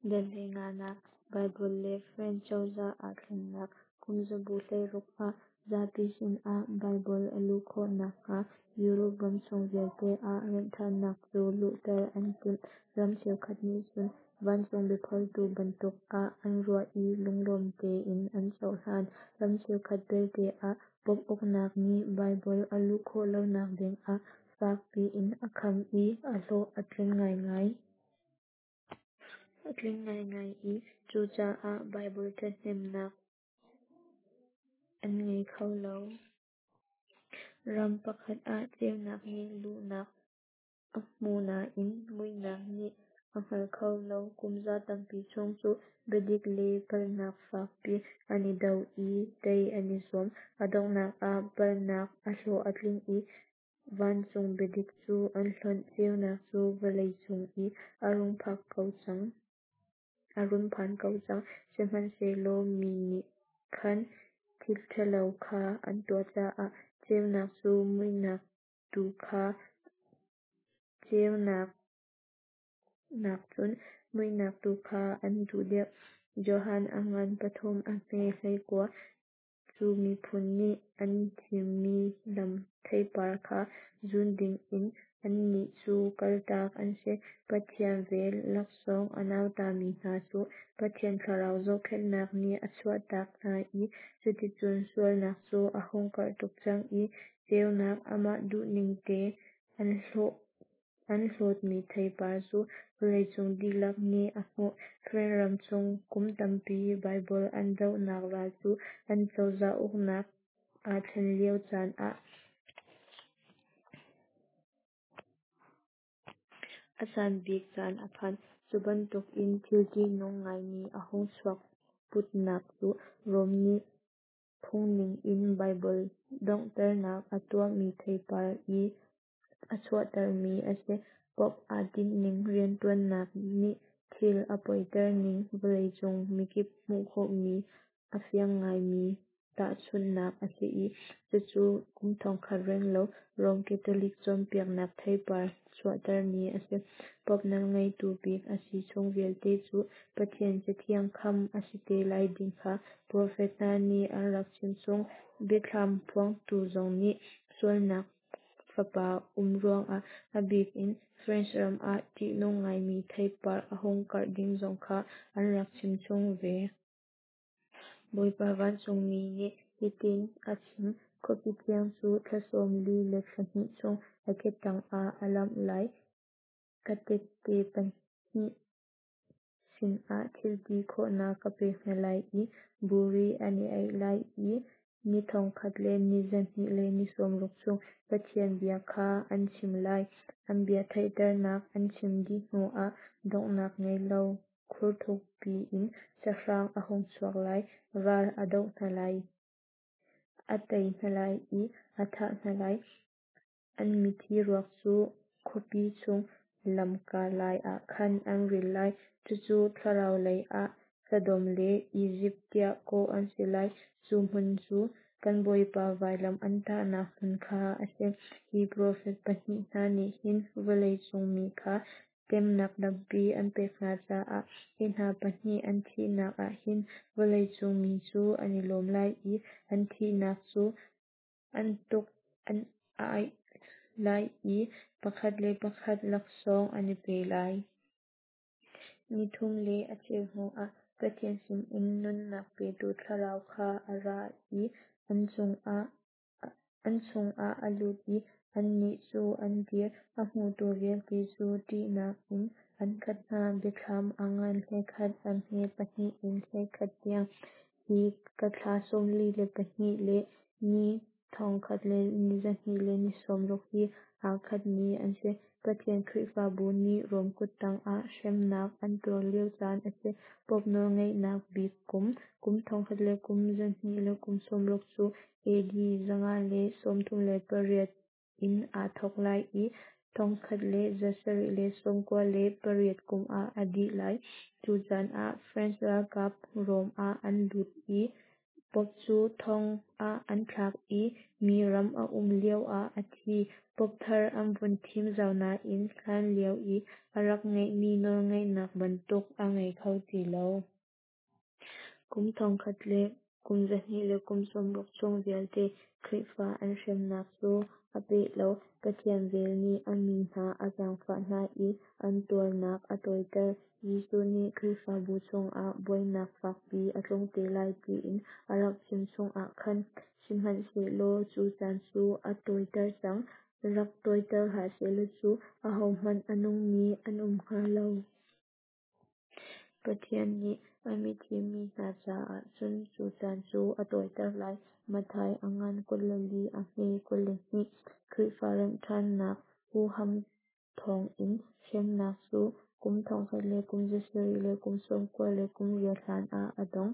Dal 15nak Baibal le French cozah aa thlennak. Kumzabu 16 ah zapi sinah Baibal a luh khawh nakhnga Europe ram chung vialte ah remhṭhannak cu luhter an timh. Ram cheukhat nih cun vancung biaphuangtu bantuk ah an ruah i lunglawm tein an cohlan. Ram cheukhat belte ah Pope uknak nih Baibal a luh khawh lonak dingah fak piin a kham i a hlawh a tling ngaingai. A tling ngaingai i cucaah Baibal ṭhathnemnak an ngei kho lo. Ram pakhat ah ceunak nih luhnak a hmu nain muihnak nih a hngal kho lo. Kumza tampi chung cu biadik le palhnak fakpi an i do i tei an i zuam. A donghnak ah palhnak a hlawh a tling i vancung biadik cu an hlonh. Ceunak cu vawlei cung i a rung phan ko cang, sihmanhsehlaw mi nih khan thil ṭhalo kha an tuah caah ceunak cu muihnak tu kha ceunak nakcun muihnak tu kha an duh deuh. Johan a ngan 3 a hme 19. Cu miphun nih an thimmi lam theipar kha zun dingin annih cu kaltak an si. Pathian vel laksawng a nautami hna cu Pathian Thlarau zohkhenhnak nih a chuahtak hna i cuticun sualnak cu a hung karh tuk cang i ceunak amah duhningte an hlawtmi theipar cu vawleicung dihlak nih a hmuh. France ram chung kum tampi Baibal an dohnak ral cu an cozah uknak aa thlen lio caan ah a san bik caan a phan. Cu bantukin thil ṭihnung ngaimi a hung chuahputnak cu Rome nih phungning in Baibal donghternak a tuahmi theipar i a chuahtermi a si. Pope aa tinhning rianṭuannak nih thil a poiter ning vawleicung mikip hmuh khawhmi a fiang ngaimi tahchunhnak a si i, cucu kum 1000 renglo Rome Catholic cawnpiaknak theipar chuahtermi a si. Pope nawlngeitu bik a si chung vialte cu Pathian Cathiang kham a si te lai ding kha profet hna nih an rak chimchung. Biathlam phuangtu zong nih sualnak fapa um ruangah a bik in French ram ah ṭihnung ngaimi theipar a hung karh ding zong kha an rak chimchung ve. Bawipa vancungmi nih hitin a chim, Khuapi thiang cu thla sawm li le thla hnih chung a ke tangah a lamh lai. Ka tehte pahnih sinah thil ti khawhnak ka pek hna lai i buri an i aih lai i ni thong khat le ni za hnih le ni sawm ruk chung Pathian bia kha an chim lai. An bia theihternak an chim dih hnuah donghnak ngei lo khur thukpi in sahrang a hung chuak lai, ral a doh hna lai, a tei hna lai i a thah hna lai. An mithi ruak cu khuapi chung lamka lai ah khan an ril lai. Cucu thlarau lei ah Sodom le Izipt tiah kawh an si lai. Cu hmun cu kan Bawipa vailam an tahnak hmun kha a si. Hi profet pahnih hna nih hin vawleicung mi kha temnak tampi an pek hna caah hi hna pahnih an thihnak ah hin vawleicung mi cu an i lawm lai i an thihnak cu an tuk an ai lai i pakhat le pakhat laksawng an i pe lai. Ni thum le a cheu hnuah Pathian sinin nunnak petu Thlarau kha a ra i an chungah a lut i annih cu an dir, a hmutu vialte cu ṭihnak in an khat hna. Biathlam a ngan 11 a hme 2 in 11 tiang. Hi ka thla 42 le ni thong khat le ni za hnih le ni sawm ruk hi aa khatmi an si. Pathian Khrihfabu nih Rom kuttang ah hremnak an tuar lio caan a si. Pope nawlngeihnak bik kum, kum thong khat le kum za hnih le kum sawm ruk cu AD 538 in aa thawk lai i 1798 kum ah a dih lai. Cu caan ah French ralkap Rome ah an lut i. Pope cu thong ah an thlak i mi ram a um lio ah a thi. Pope thar an vun thim zau nain hlan lio i a rak ngeihmi nawlngeihnak bantuk a ngei kho ti lo. Kum 1260 chung vialte Khrihfa an hremnak cu a peh lo. Pathian vel nih a mi hna a zaangfah hna i an tuarnak a tawiter. Jesuh nih Khrihfabu chungah buainak fakpi a tlung te lai tiin a rak chim chung ah khan. Sihmanhsehlaw cu caan cu a tawiter cang. Rak tawiter hlah sehlaw cu ahohmanh a nungmi an um hnga lo. Pathian nih a mithim mi hna caah cun cu caan cu a tawiter lai. Matthai a ngan 24 a hme 22. Khrihfa remhṭhannak huham thawngin hremnak cu kum 1798 hlan ah a dong.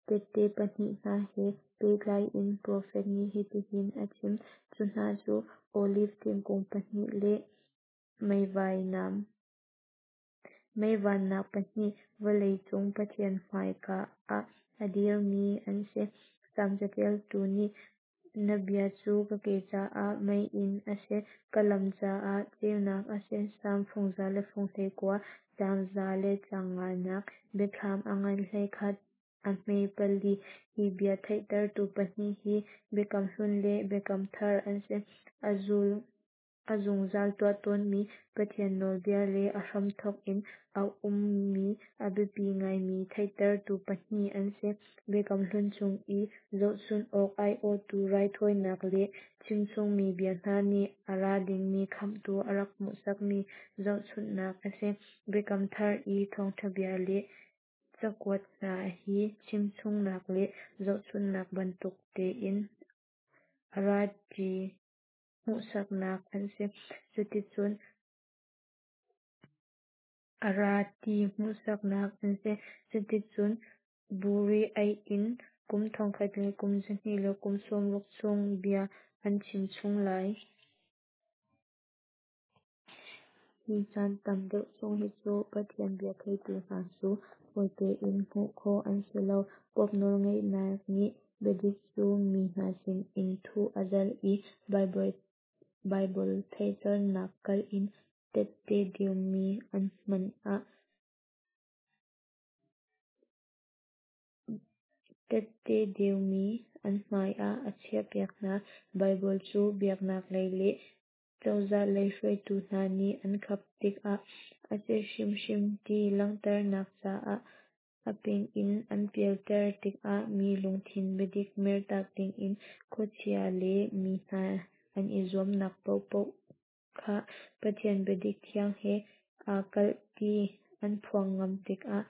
Tehte pahnih hna he pehtlai in profet nih hitihin a chim: Cu hna cu oliv thingkung pahnih le mei vannak pahnih, vawlei cung Pathian hmaika ah a dirmi an si. Salm caṭialtu nih, Na bia cu ka ke caah meiinn a si, ka lam caah ceunak a si. Salm fung 119, caang 105nak. Biathlam a ngan 11 a hme pali. Hi bia theihtertu pahnih hi Biakam Hlun le Biakam Thar an si. A zungzal tuah tawnmi Pathian nawlbia le a hramthawk in a ummi a biapi ngaimi theihtertu pahnih an si. Biakam Hlun chung i zohchunh awk aiawhtu raithawinak le chimchungmi bia hna nih a ra dingmi Khamhtu a rak hmuhsakmi zohchunhnak a si. Biakam Thar i thawngṭha bia le cakuat hna hi chimchungnak le zohchunhnak bantuk tein a ra ti hmuhsaknak an si. Cuticun a ra ti hmuhsaknak an si. Cuticun buri aih in kum 1260 chung bia an chim chung lai. Hi caan tam deuh chung hi cu Pathian bia theitu hna cu fawi tein hmuh khawh an si lo. Pope nawlngeihnak nih biadik cu mi hna sin in thuh a zalh i Baibal theihternak kalh in tehte deumi an hmai ah a chiahpiak hna. Baibal cu biaknak lei le cozah lei hruaitu hna nih an khap tikah a si hrimhrim ti langhternak caah a ping in an pialter tikah mi lungthin biadik mertak dingin khuachia le mi hna an i zuamnak paohpaoh kha Pathian biadik thiang he aa kalh ti an phuang ngam tikah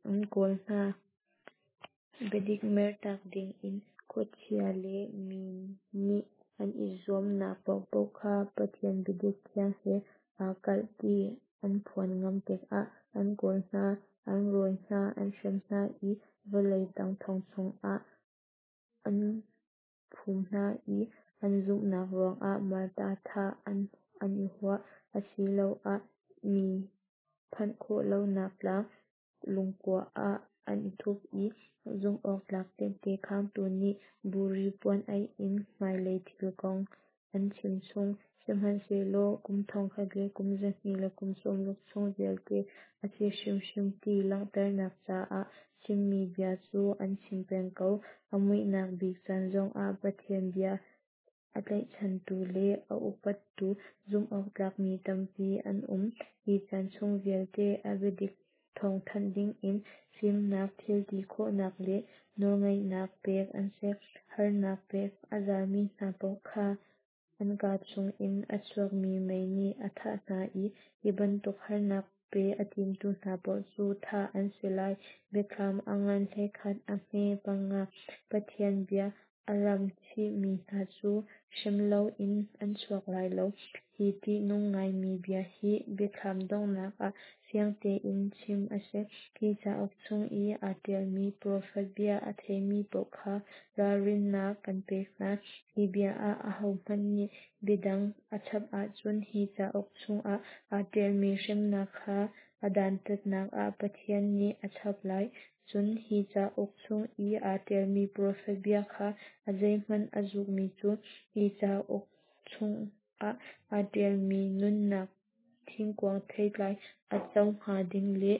an kawl hna. Biadik mertak dingin khuachia le mi nih an i zuamnak paohpaoh kha Pathian biadik thiang he aa kalh ti an phuan ngam tikah an kawl hna, an rawi hna, an hrem hna i vawlei tang thong chungah an phum hna i an zumhnak ruangah martar thah an i huah, asiloah mi phanh khawh lonak tlang lungkua ah an i thup i zumhawktlak tehte khangtu nih buri puan aih in hmailei thil kong an chim chung. Sihmanhsehlaw kum 1260 chung vialte a si hrimhrim ti langhternak caah chimmi bia cu an chim peng ko. A muihnak bik caan zongah Pathian bia a tlaihchantu le a upattu zumhawktlak mi tampi an um. Hi caan chung vialte a biadik thawngthanh dingin fimnak, thilti khawhnak le nawlngeihnak pek an si. Harnak pek a zalmi hna paoh kha an kaa chungin a chuakmi mei nih a thah hna i hi bantuk harnak pe a timtu hna paoh cu thah an si lai. Biathlam a ngan 11 a hme panga. Pathian bia a ram chihmi hna cu hrem loin an chuak lai lo. Hi ṭihnung ngaimi bia hi Biathlam donghnak ah fiang tein chim a si. Hi cauk chung i aa ṭialmi profet bia a theimi paoh kha ralrinnak kan pek hna. Hi bia ah ahohmanh nih bia dang a chap ahcun hi cauk chungah aa ṭialmi hremnak kha a dantatnak ah Pathian nih a chap lai. Cun hi cauk chung i aa ṭialmi profet bia kha a zeihmanh a zulmi cu, hi cauk chungah aa ṭialmi nunnak thingkung theitlai a co hnga ding le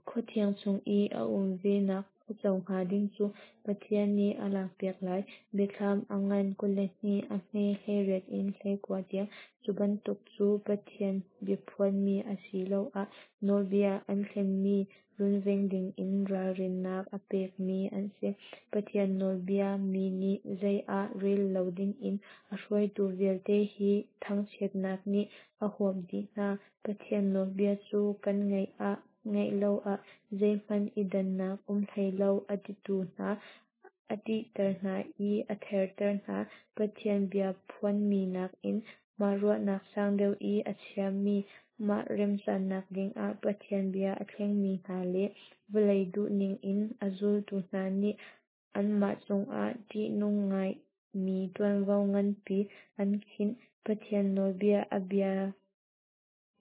khua thiang chung i a um venak a co hnga ding cu Pathian nih a lakpiak lai. Biathlam a ngan 22 a hme 18 in 19 tiang. Cu bantuk cu Pathian biaphuanmi asiloah nawlbia an thlenmi runveng dingin ralrinnak a pekmi an si. Pathian nawlbia mi nih zei ah rel lo dingin a hruaitu vialte hi thangchiatnak nih a huap dih hna. Pathian nawlbia cu kan ngaih ah ngaih lo ah zeihmanh i dannak um hlei lo a titu hna a ṭihter hna i a therter hna. Pathian bia phuanmi nakin mah ruahnak sang deuh i a chiami, mah remcannak dingah Pathian bia a thlengmi hna le vawlei duhning in a zultu hna nih anmah cungah ṭihnung ngaimi ṭuanvo nganpi an khinh. Pathian nawlbia a bia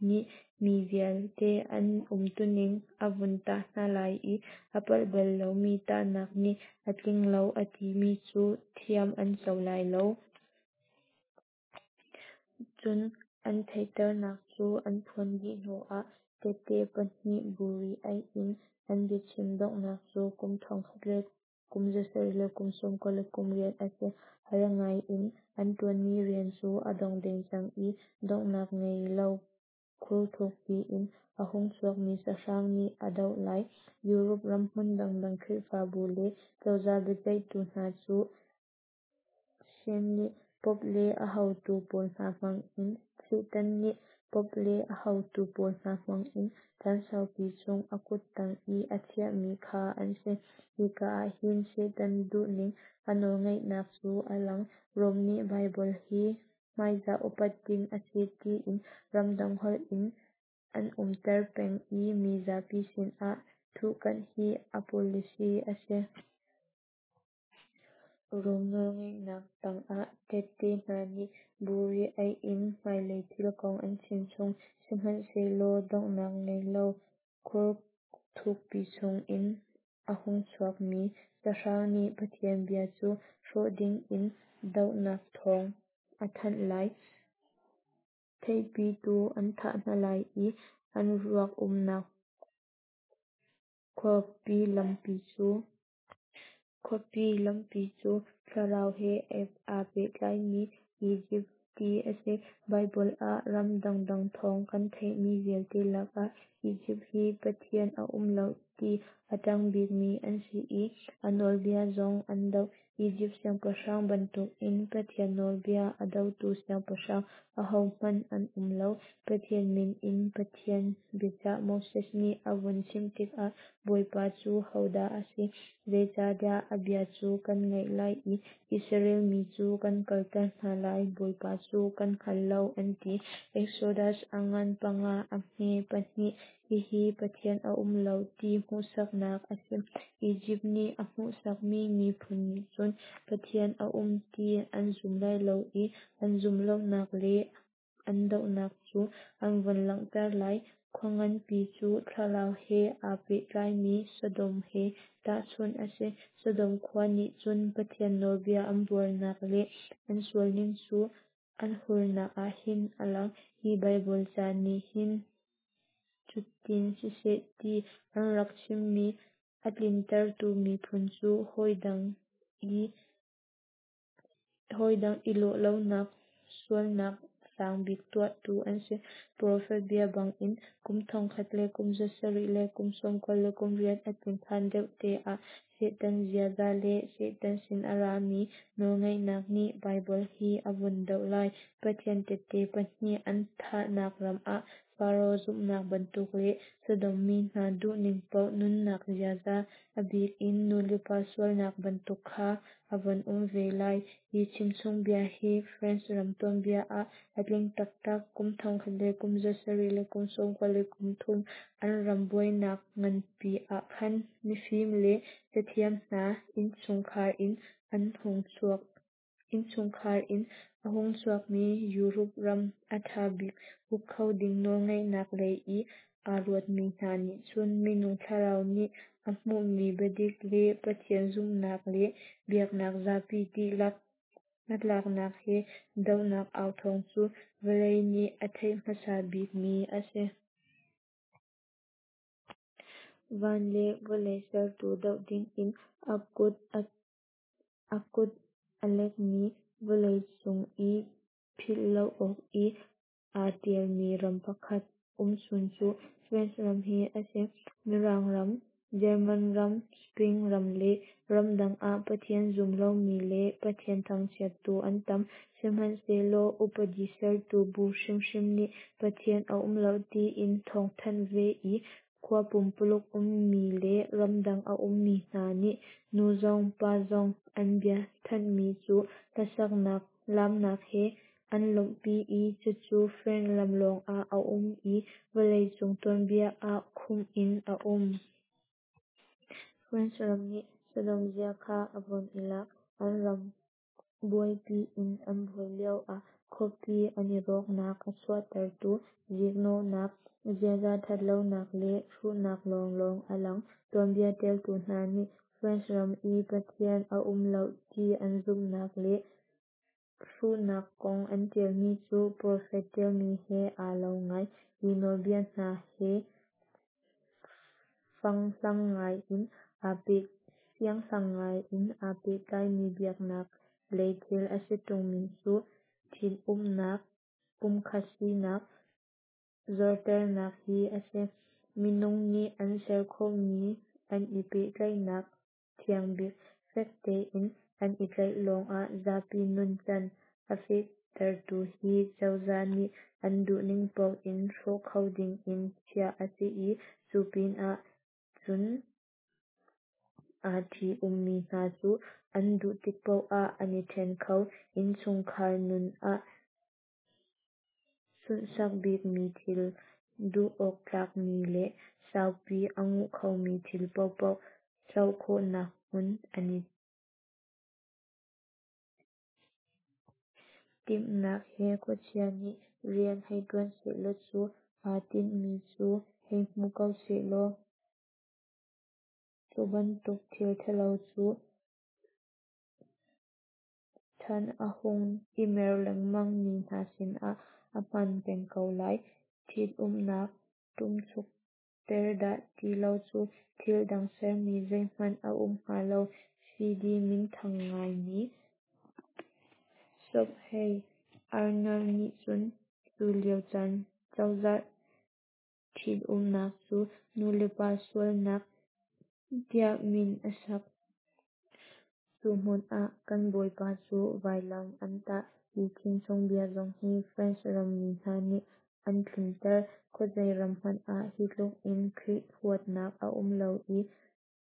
nih mi vialte an umtuning a vun tah hna lai i a palh bal lomi tahnak nih a tling lo a timi cu thiam an co lai lo. Cun an theihternak cu an phuan dih hnuah tehte pahnih buri aih in an biachim donghnak cu kum thong khat le kum za sarih le kum sawm kua le kum riat a si. Har ngaiin an ṭuanmi rian cu a dong deng cang i donghnak ngei lo khur thukpi in a hung chuakmi sahrang nih a doh lai. Europe ram hmun dangdang Khrihfabu le cozah biaceihtu hna cu Satan nih Pope le a haotu pawl hna hmangin Satan nih Pope le a haotu pawl hna hmangin caan saupi chung a kut tang i a chiahmi kha an si. Hika ah hin Satan duhning a nawlngeihnak cu a lang. Rom nih Baibal hi hmaizah upat ding a si tiin ramdang holh in an umter peng i mi zapi sinah thuhkanh hi a policy a si. Rom nawlngeihnak tangah tehte hna nih buri aih in hmailei thil kong an chimchung. Sihmanhsehlaw donghnak ngei lo khur thukpi chungin a hung chuakmi sahrang nih Pathian bia cu hrawh dingin dohnak thawng a thanh lai. Theihpitu an thah hna lai i an ruak umnak khuapi lampi cu Khuapi lampi cu thlarau he aa pehtlaimi Izipt ti a si. Baibal ah ram dangdang thawng kan theihmi vialte lakah Izipt hi Pathian a um lo ti a ṭanh bikmi an si i a nawlbia zong an doh. Izipt siangpahrang bantukin Pathian nawlbia a dotu siangpahrang ahohmanh an um lo. Pathian min in Pathian biacah Moses nih a vun chim tikah Bawipa cu hodah a si? Zeicahdah a bia cu kan ngaih lai i Israel mi cu kan kalter hna lai? Bawipa cu kan hngal lo, an ti. Exodus a ngan panga a hme pahnih. Hihi Pathian a um lo ti hmuhsaknak a si. Izipt nih a hmuhsakmi miphun nih cun Pathian a um ti an zum lai lo i an zumh lonak le an dohnak cu an vun langhter lai. Khua nganpi cu thlarau he aa pehtlaimi Sodom he tahchunh a si. Sodom khua nih cun Pathian nawlbia an buarnak le an sualning cu an hurnak ah hin a lang. Hi Baibal ca nih hin cutin siseh ti an rak chimmi a tlintertu miphun cu hawidang i lawh lonak sualnak sang bik tuahtu an si. Profet bia bangin kum thong khat le kum za sarih le kum sawm kua le kum riat a tlin hlan deuh te ah Satan ziaza le Satan sin a rami nawlngeihnak nih Baibal hi a vun doh lai. Pathian tehte pahnih an thahnak ram ah Faro zumhnak bantuk le Sodom mi hna duhning paoh nunnak ziaza, a bik in nulepa sualnak bantuk kha a vun um ve lai. Hi chimchungbia hi France ram tuanbia ah a tling taktak. Kum thong khat le kum za sarih le kum sawm kua le kum thum an ram buainak nganpi ah khan mifim le cathiam hna innchungkhar in an hung chuak. Innchungkhar in A hung chuakmi Europe ram a ṭha bik uk kho ding nawlngeihnak lei i aa ruatmi hna nih cun minung thlarau nih a hmuhmi biadik le Pathian zumhnak le biaknak zapi dihlak hnatlaknak he dohnak authawng cu vawlei nih a theih hmasa bikmi a si. Van le vawlei sertu doh dingin a kut a lekmi vawlei cung i philh lo awk i aa ṭialmi ram pakhat umchun cu France ram hi a si. Mirang ram, German ram, Spain ram le ramdang ah Pathian zum lomi le Pathian thangchiattu an tam. Sihmanhsehlaw upadi sertu bu hrimhrim nih Pathian a um lo tiin thawngthanh ve i khua pumpuluk ummi le ramdang a ummi hna nih nu zong pa zong an bia thanhmi cu hlasaknak laamnak he an lawmhpi i cucu France ram lawngah a um i vawleicung tuanbia ah khumh in a um. France ram nih Sodom zia kha a von i lak. An ram buaipi in an buai lioah khuapi an i rawknak a chuahtertu ziknawhnak, ziaza thatlonak le hruhnak lawnglawng a lang. Tuanbia tialtu hna nih France ram i Pathian a um lo ti an zumhnak le hruhnak kong an tialmi cu profet tialmi he aa lo ngai i nawlbia hna he fianghlang ngai in aa pehtlaimi biaknak lei thil a si tungmi cu thitumnak, pumkhat sinak zorternak hi a si. Minung nih an ser khawhmi an i pehtlaihnak thiangbik fek tein an i tlaih lawngah zapi nuncan a fehtertu hi cozah nih an duhning paoh in hrawh kho dingin chiah a si i cu pinah cun aa ṭhi-ummi hna cu an duh tik paoh ah an i ṭhen kho. Innchungkhar nun ah sunhsak bikmi thil, duh awk tlakmi le saupi a nguh khomi thil paohpaoh hloh khawhnak hmun an i timhnak he khuachia nih rian hei ṭuan sehlaw cu aa tinhmi cu hei hmu ko sehlaw cu bantuk thil ṭhalo cu chan a hung i mer lengmangmi hna sinah a hman peng ko lai. Ṭhitumnak ṭumchukter dah ti lo cu thil dang sermi zeihmanh a um hnga lo. Fidi minthang ngaimi Sobhay Arnold nih cun cu lio caan cozah ṭhitumnak cu nu le pa sualnak tiah min a sak. Cu hmun ah kan Bawipa cu vailam an tah. Hi chimchungbia zong hi France rammi hna nih an tlinter. Khuazei ram hmanh ah hi tluk in Khrih huatnak a um lo i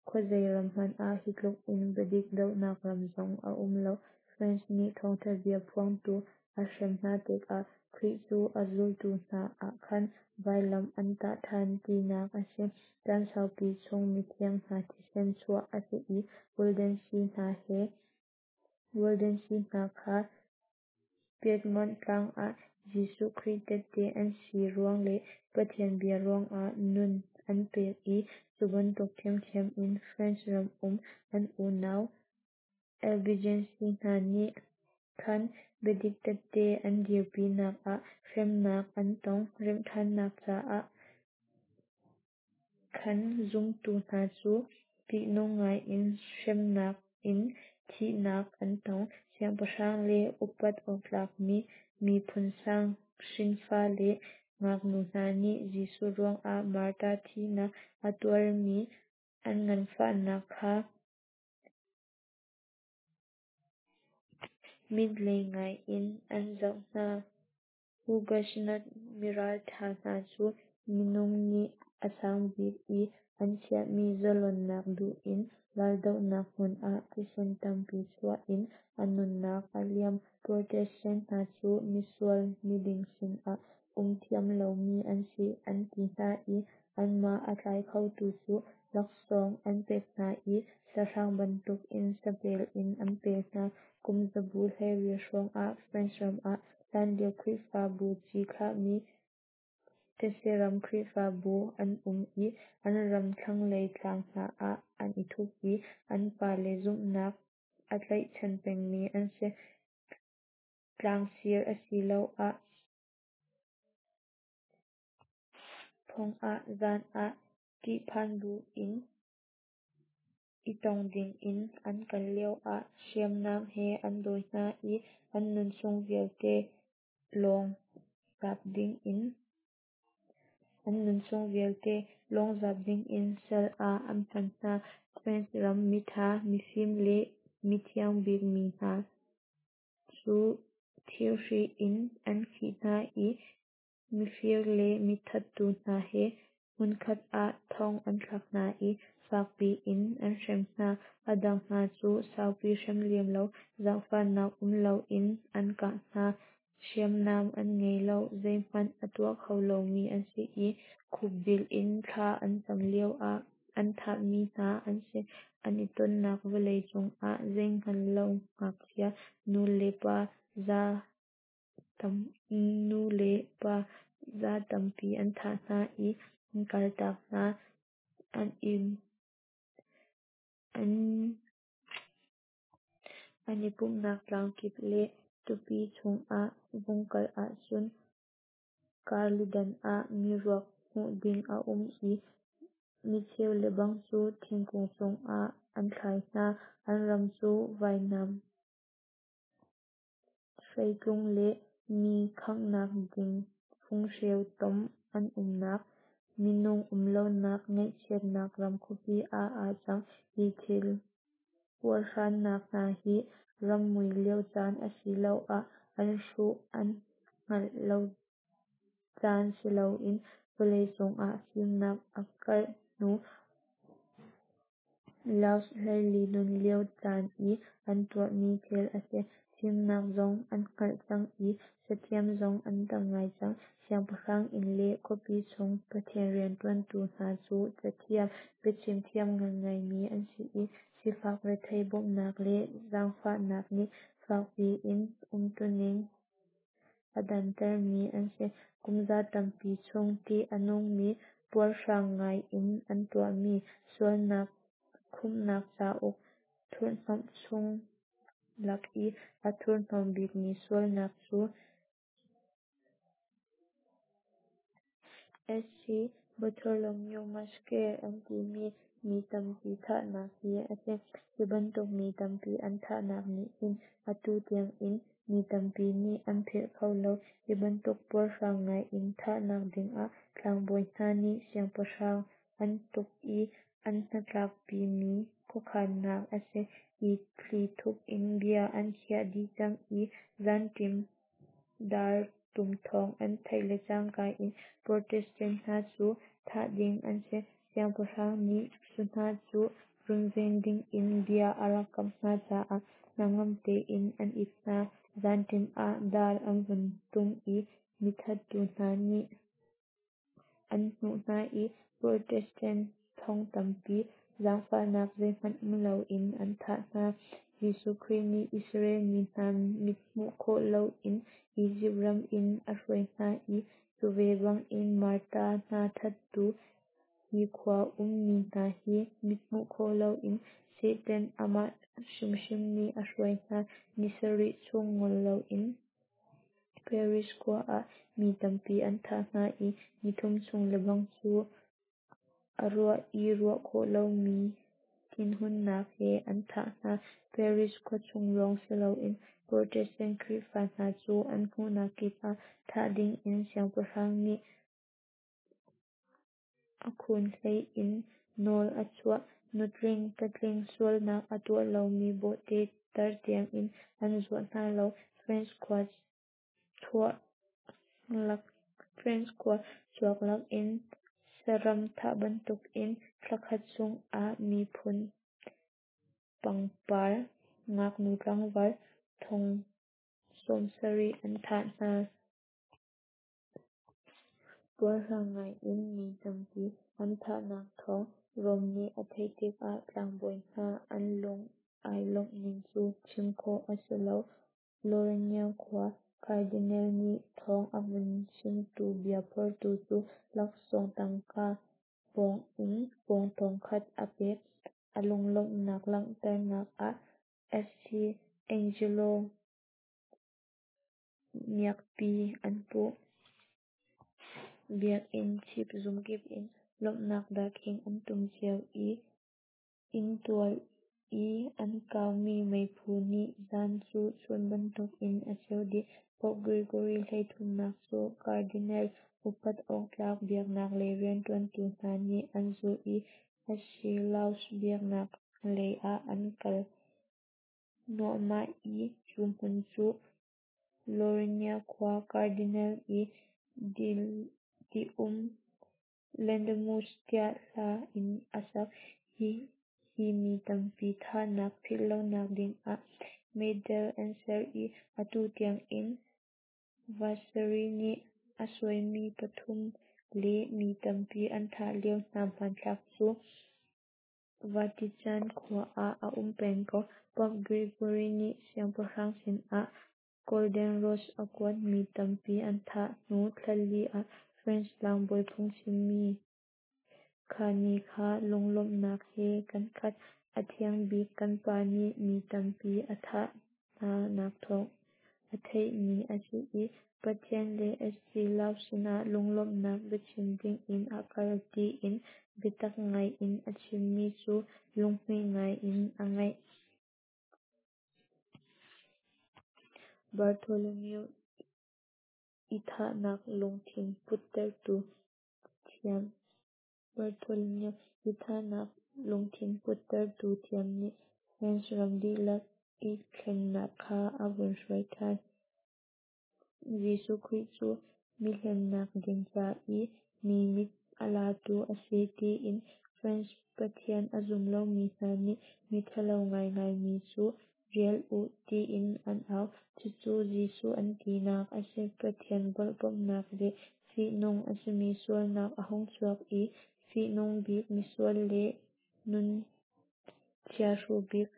khuazei ram hmanh ah hi tluk in biadik dohnak ram zong a um lo. France nih thawngtha bia phuangtu a hrem hna tikah Khrih cu a zultu hna ah khan vailam an tah ṭhan tinak a si. Caan saupi chung mithiang hna thisen chuah a si i Waldensi hna kha Piedmont tlang ah Jesuh Khrih tehte an si ruang le Pathian bia ruangah nun an pek i cu bantuk ṭhiamṭhiam in France ram um an unau Albigensi hna nih khan biadik tehte an dirpinak ah hremnak an tong. Remhṭhannak caah khan zumtu hna cu ṭihnung ngaiin hremnak in thihnak an tong. Siangpahrang le upat awktlakmi miphun sang hrinfa le ngaknu hna nih Jesuh ruangah martar thihnak a tuarmi an nganfahnak kha mit lei ngaiin an zoh hna. Huguenot miralṭha hna cu minung nih a sangbik i an chiahmi zalonnak duh in raldohnak hmun ah thisen tampi chuah in an nunnak a liam. Protestant hna cu misual, miding sinah um thiam lomi an si an ti hna i anmah a tlai khotu cu laksawng an pek hna i sahrang bantukin sapel in an pel hna. Kum zabu 12 hrawng. hrawngah France ram ah hlanlio Khrihfabu ci thlahmi thetseram Khrihfabu an um i an ram thlanglei tlang hna ah an i thup i an pale zumhnak a tlaihchan pengmi an si. Tlangsir asiloah phong ah zan ah ṭihphan buin i tong dingin an kal lioah hriamnam he an dawi hna i an nunchung vialte lawng zap dingin sal ah an hman hna. France ram miṭha, mifim le mithiang bikmi hna cu thirhri in an khih hna i mifir le mithattu hna he hmunkhat ah thong an thlak hna i fakpi in an hrem hna. A dang hna cu saupi hrem lem lo, zaangfahnak um loin an kah hna. Hriamnam an ngei lo, zeihmanh a tuah kho lomi an si i khupbil in thla an cam lioah an thahmi hna an si. An i tonnak vawlei cungah zeihngal lo ngakchia, nu le pa za tampi an thah hna i an kaltak hna. An i pumhnak tlangkip le tupi chungah vung kal ahcun karlidan ah miruak hmuh ding a um i micheu lebang cu thingkung cungah an thlai hna. An ram cu vainam hreitlung le mi khanghnak ding funghreu tom an umnak, minung um lonak ngaihchiatnak ram khuapi ah aa cang. Hi thil puarhrannak hna hi rammui lio caan asiloah an hruh an hngalh lo caan siloin vawleicung ah fimnak a karh hnu Louis 14 nun lio caan i an tuahmi thil a si. Fimnak zong an hngalh cang i cathiam zong an tam ngai cang. Siangpahrang inn le khuapi chung Pathian rianṭuantu hna cu cathiam, biachim thiam ngaingaimi an si i sifak rethei bawmhnak le zaangfahnak nih fakpi in umtuning a dantermi an si. Kumza tampi chung ṭih a nungmi, puarhrang ngai in an tuahmi sualnak khumhnak cauk thurhnawmh chung lak i a thurhnawm bikmi sualnak cu St. Bartholomew Massacre an timi mi tampi thahnak hi a si. Hi bantuk mi tampi an thahnak nih hin atu tiang in mi tampi nih an philh kho lo. Hi bantuk puarhrang ngai in thahnak dingah tlangbawi hna nih siangpahrang an tuk i an hnatlakpimi khuakhannak a si i thlithup in bia an khiah dih cang i zanṭim dar tum thawng an theih le cangka in Protestant hna cu thah ding an si. Siangpahrang nih cu hna cu runven dingin bia a rak kamh hna caah hnangam tein an it hna. Zanṭim ah dar an vun tum i mithattu hna nih an hnuh hna i Protestant thong tampi zaangfahnak zeihmanh um loin an thah hna. Jesuh Khrih nih Israel mi hna mithmuh khawh loin Izipt ram in a hruai hna i cu ve bangin martar hna thattu hi khua ummi hna hi mithmuh khawh loin Satan amah hrimhrim nih a hruai hna. Ni sarih chung ngol loin Paris khua ah mi tampi an thah hna i nithum chung lebang cu a ruah i ruah khawh lomi thinhunnak he an thah hna. Paris khuachung lawng siloin Protestant Khrihfa hna cu an hmuhnak kip ah thah dingin siangpahrang nih a khun hlei in nawl a chuah. Nutling, patling, sualnak a tuah lomi bawhte, tar tiangin an zuah hna lo. France khua chuak lakin saram thah bantukin thlakhat chungah miphun pangpar ngaknu tlangval thong 70 an thah hna. Puarhrang ngai in mi tampi an thahnak thawng Rome nih a theih tikah tlangbawi hna an lung ai lawmh ning cu chim khawh a si lo. Lorraine. phortu cu laksawng tangka pawng in pawng 1000 a pek. A lunglawmhnak langhternak ah St. Angelo miakpi an puh. Biakinn chipzung kip in lawmhnak darkhing an tum cio i inntual i an kaumi meiphu nih zan cu chun bantukin a ceuh dih. Pope Gregory XIII cu Cardinal, upat awktlak biaknak lei rianṭuantu hna nih an zulh i St. Louis biaknak lei ah an kal hnuahmah i cu hmun cu Lorraine khua Cardinal i dih-um Laudamus tiah hla in a sak. Hi mi tampi thahnak philhlonak dingah medal an ser i atu tiangin Vasari nih a suaimi pathum le mi tampi an thah lio hna hmanthlak cu Vatican khua ah a um peng ko. Pope Gregory nih siangpahrang sinah Golden Rose a kuat. Mi tampi an thah hnu thlali ah French tlangbawi phungchimmi Kha ni kha lunglawmhnak he kan khat. A thiangbik kan pa nih mi tampi a thah hna nak thawng a theih ni a si i Pathian le St. Louis sinah lunglawmhnak biachim dingin a kal tiin biatak ngai in a chimmi cu lunghmuih ngai in a ngaih. Bartholomew i thahnak lungthin puttertu thiam Bartholomew i thahnak lungthin puttertu thiam nih France ram dihlak i thlennak kha a vun hruai ṭhan. Jesuh Khrih cu mi hlennak ding ca i mi mit a latu a si tiin France Pathian a zum lomi hna nih miṭhalo ngaingai mi cu rial u tiin an au. Cucu Jesuh an tinak a si. Pathian volhpamhnak le fihnung a simi sualnak a hung chuak i fihnung bik misual le nun chiahru bik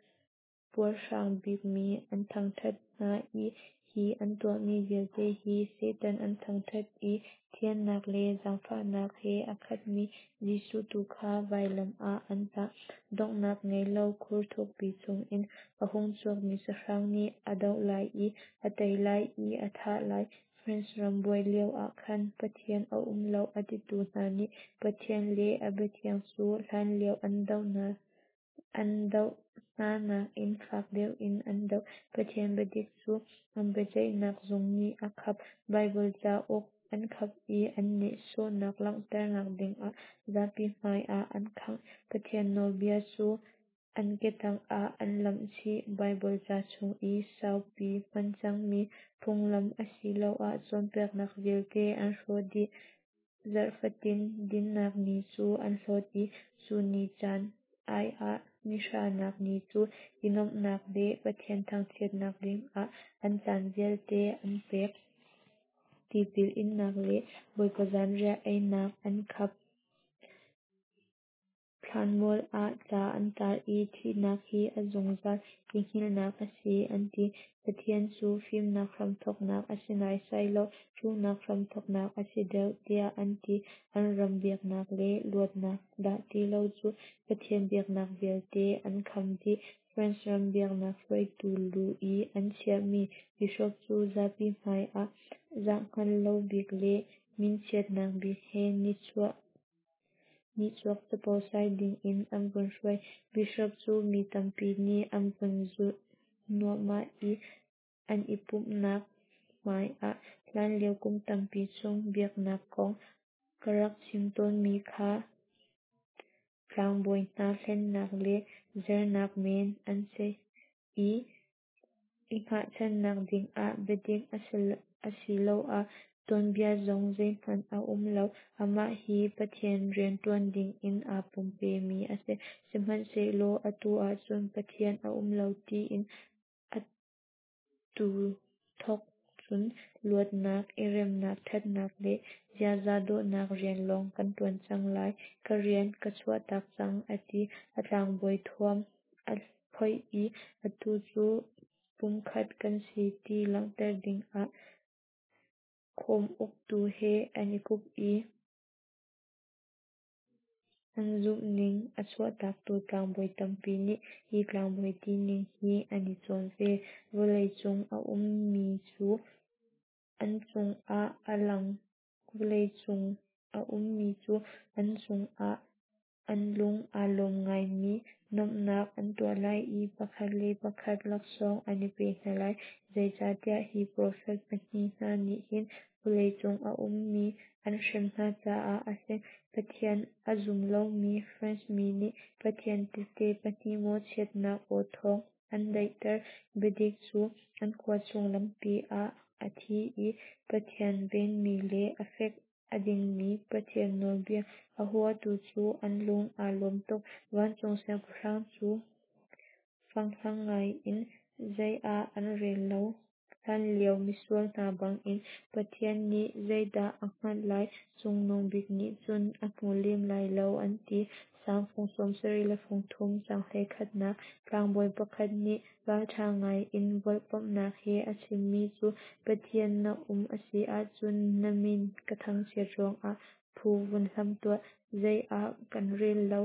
puarhrang bikmi an thangṭhat hna i hi an tuahmi vialte hi Satan an thangṭhat i thiannak le zaangfahnak he a khatmi Jesuh tu kha vailam ah an tah. Donghnak ngei lo khur thukpi chungin a hung chuakmi sahrang nih a doh lai i a tei lai i a thah lai. France ram buai lio ah khan Pathian a um lo a titu hna nih Pathian le a biathiang cu hlanlio an doh hna nakin fak deuh in an doh. Pathian biadik cu an biaceihnak zung nih a khap. Baibal cauk an khap i an nehsawhnak langhternak dingah zapi hmai ah an khangh. Pathian nawlbia cu an ketang ah an lamh chih. Baibal ca chung i saupi hman cangmi phunglam asiloah cawnpiaknak vialte an hrawh dih. Zarhfatin dinhnak ni cu an hlawt i cu ni caan ai ah nihranak ni cu i nuamhnak le Pathian thangchiatnak dingah an caan vialte an pek. Tipil innak le Bawipa zanriah einak an khap. Thlanmual ah ca an tar i thihnak hi a zungzal i hngilhnak a si an ti. Pathian cu fimnak hramthawknak a si naisai lo, hruhnak hramthawknak a si deuh tiah an ti. An ram biaknak le luatnak dah ti lo cu Pathian biaknak vialte an kham dih. France ram biaknak hruaitu lu i an chiahmi bishop cu zapi hmai ah zahhngal lo bik le minchiatnak bik he nihchuak capo sai dingin an vun hruai. Bishop cu mi tampi nih an vun zulh hnuahmah i an i pumhnak hmai ah hlanlio kum tampi chung biaknak kong ka rak chim tawnmi kha tlangbawi hna hlennak le zernak men an si i i hngahchannak dingah biadik asiloah tuanbia zong zeihmanh a um lo. Amah hi Pathian rianṭuan dingin aa pumpemi a si. Sihmanhsehlaw atu ahcun Pathian a um lo tiin atu thawk cun luatnak, i remnak, ṭhatnak le ziaza dawhnak rian lawng kan ṭuan cang lai. Ka rian ka chuahtak cang, a ti. A tlangbawi thuam aa phoih i atu cu pumkhat kan si ti langhter dingah. Khawm uktu he an i kup i an zumhning a chuahtaktu tlangbawi tampi nih hi tlangbawi tining hi an i cawn ve. Vawlei cung a ummi cu an cungah a lang vawlei cung a ummi cu an cungah an lung aa lawm ngaimi nuamhnak an tuah lai i pakhat le pakhat laksawng an i pe hna lai, zeicahtiah hi profet pahnih hna nih hin vawlei cung a ummi an hrem hna caah a si. Pathian a zum lomi France mi nih Pathian tehte pahnih mawhchiatnak aw thawng an daihter. Biadik cu an khua chung lampi ah a thi i Pathian venmi le a fek a dingmi Pathian nawlbia a huatu cu an lung aa lawm tuk. Vancung siangpahrang cu fanghlang ngai in zei ah an rel lo. Hlanlio misual hna bangin Pathian nih zeidah a hngalh lai, Cungnung Bik nih cun a hmu lem lai lo an ti. Salm fung 73 caang 21nak Tlangbawi pakhat nih ralṭha ngai in volhpamhnak he a chimmi cu Pathian na um a si ahcun na min ka thangchiat ruangah phu vun hlam tuah, zei ah kan rel lo,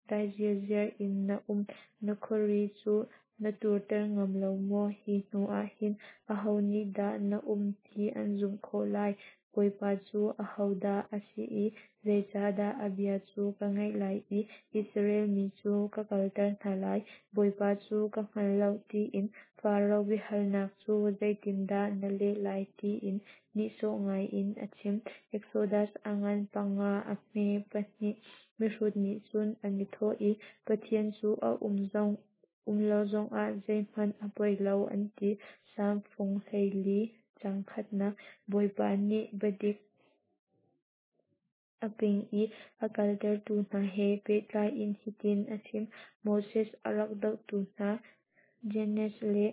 dai zirziar in na um, na khuari cu na turter ngam lo maw? Hi hnu ah hin aho nih dah na um ti an zumh khawh lai? Bawipa cu ahodah a si i zeicahdah a bia cu ka ngaih lai i Israel mi cu ka kalter hna lai? Bawipa cu ka hngal lo tiin Faro biahalnak cu zeitindah na leh lai tiin nihsawh ngai in a chim. Exodus a ngan panga a hme pahnih. Mihrut nih cun an i thawh i, Pathian cu a um zong um lo zongah zeihmanh a poi lo, an ti. Salm fung 14 caang khatnak Bawipa nih biadik a ping i a kaltertu hna he pehtlai in hitin a chim: Moses a rak dohtu hna Jannes le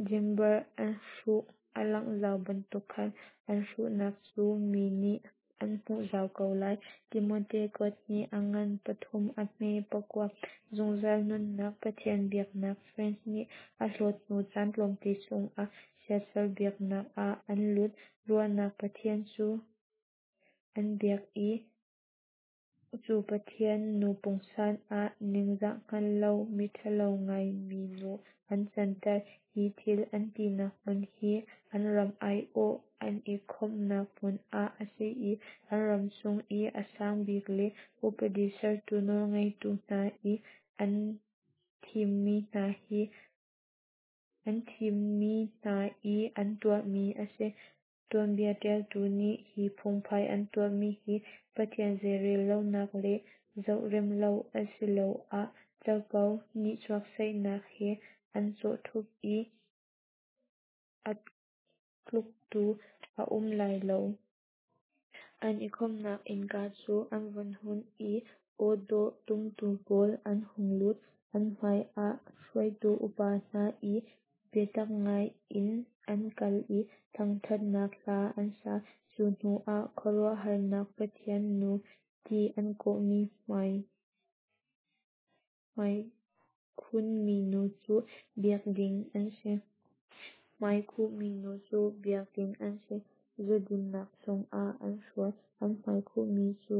Jamber an hruh a langh zau bantuk khan an hruhnak cu mi nih an hmuh zau ko lai. Timote kuat hnih a ngan pathum a hme pakua. Zungzal nunnak Pathian biaknak France nih a hlawt hnu caan tlawmte chungah siasal biaknak ah an lut. Ruahnak pathian cu an biak i cu pathian nu pungsan ah ningzah hngal lo miṭhalo ngaimi nu an canter. Hi thil an tinak hmun hi an ram aiawh an i khawmhnak hmun ah a si i an ram chung i a sang bik le upadi sertu nawlngeitu hna i an thimmi hna hi an thimmi hna i an tuahmi a si. Tuanbia ṭialtu nih hi phungphai an tuahmi hi Pathian zeirel lonak le zohrem lo asiloah capo nihchuak saihnak he an cawhṭhup i a tluktu a um lai lo. An i khawmhnak innka cu an vun hun i aw dawh tumtu pawl an hung lut. An hmai ah hruaitu upa hna i biatak ngai in an kal i thangṭhatnak hla an sa. Cu hnu ah khuaruahharnak pathian nu ti an kawhmi hmaikhun minu cu biak ding an si. Hmaikhuh minu cu biak ding an si. Zudinnak chungah an hruai. An hmaikhuhmi cu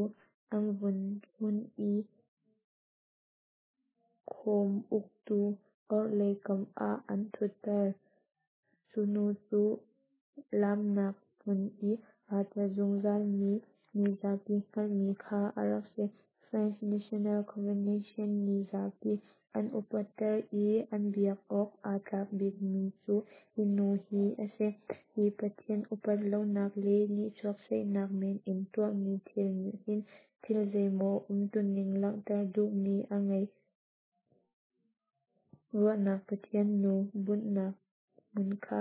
an vun hun i khawm uktu orhlei kam ah an ṭhutter. Cu nu cu laamnak hmun i aa tel zungzalmi mizapi hngalhmi kha a rak si. French National Convention nih zapi an upatter i an biak awk aa tlak bikmi cu hi nu hi a si. Hi Pathian upat lonak le nihchuak saihnak men in tuahmi thil nih hin thil zeimaw umtuning langhter duhmi a ngei. Ruahnak pathian nu bunhnak hmun kha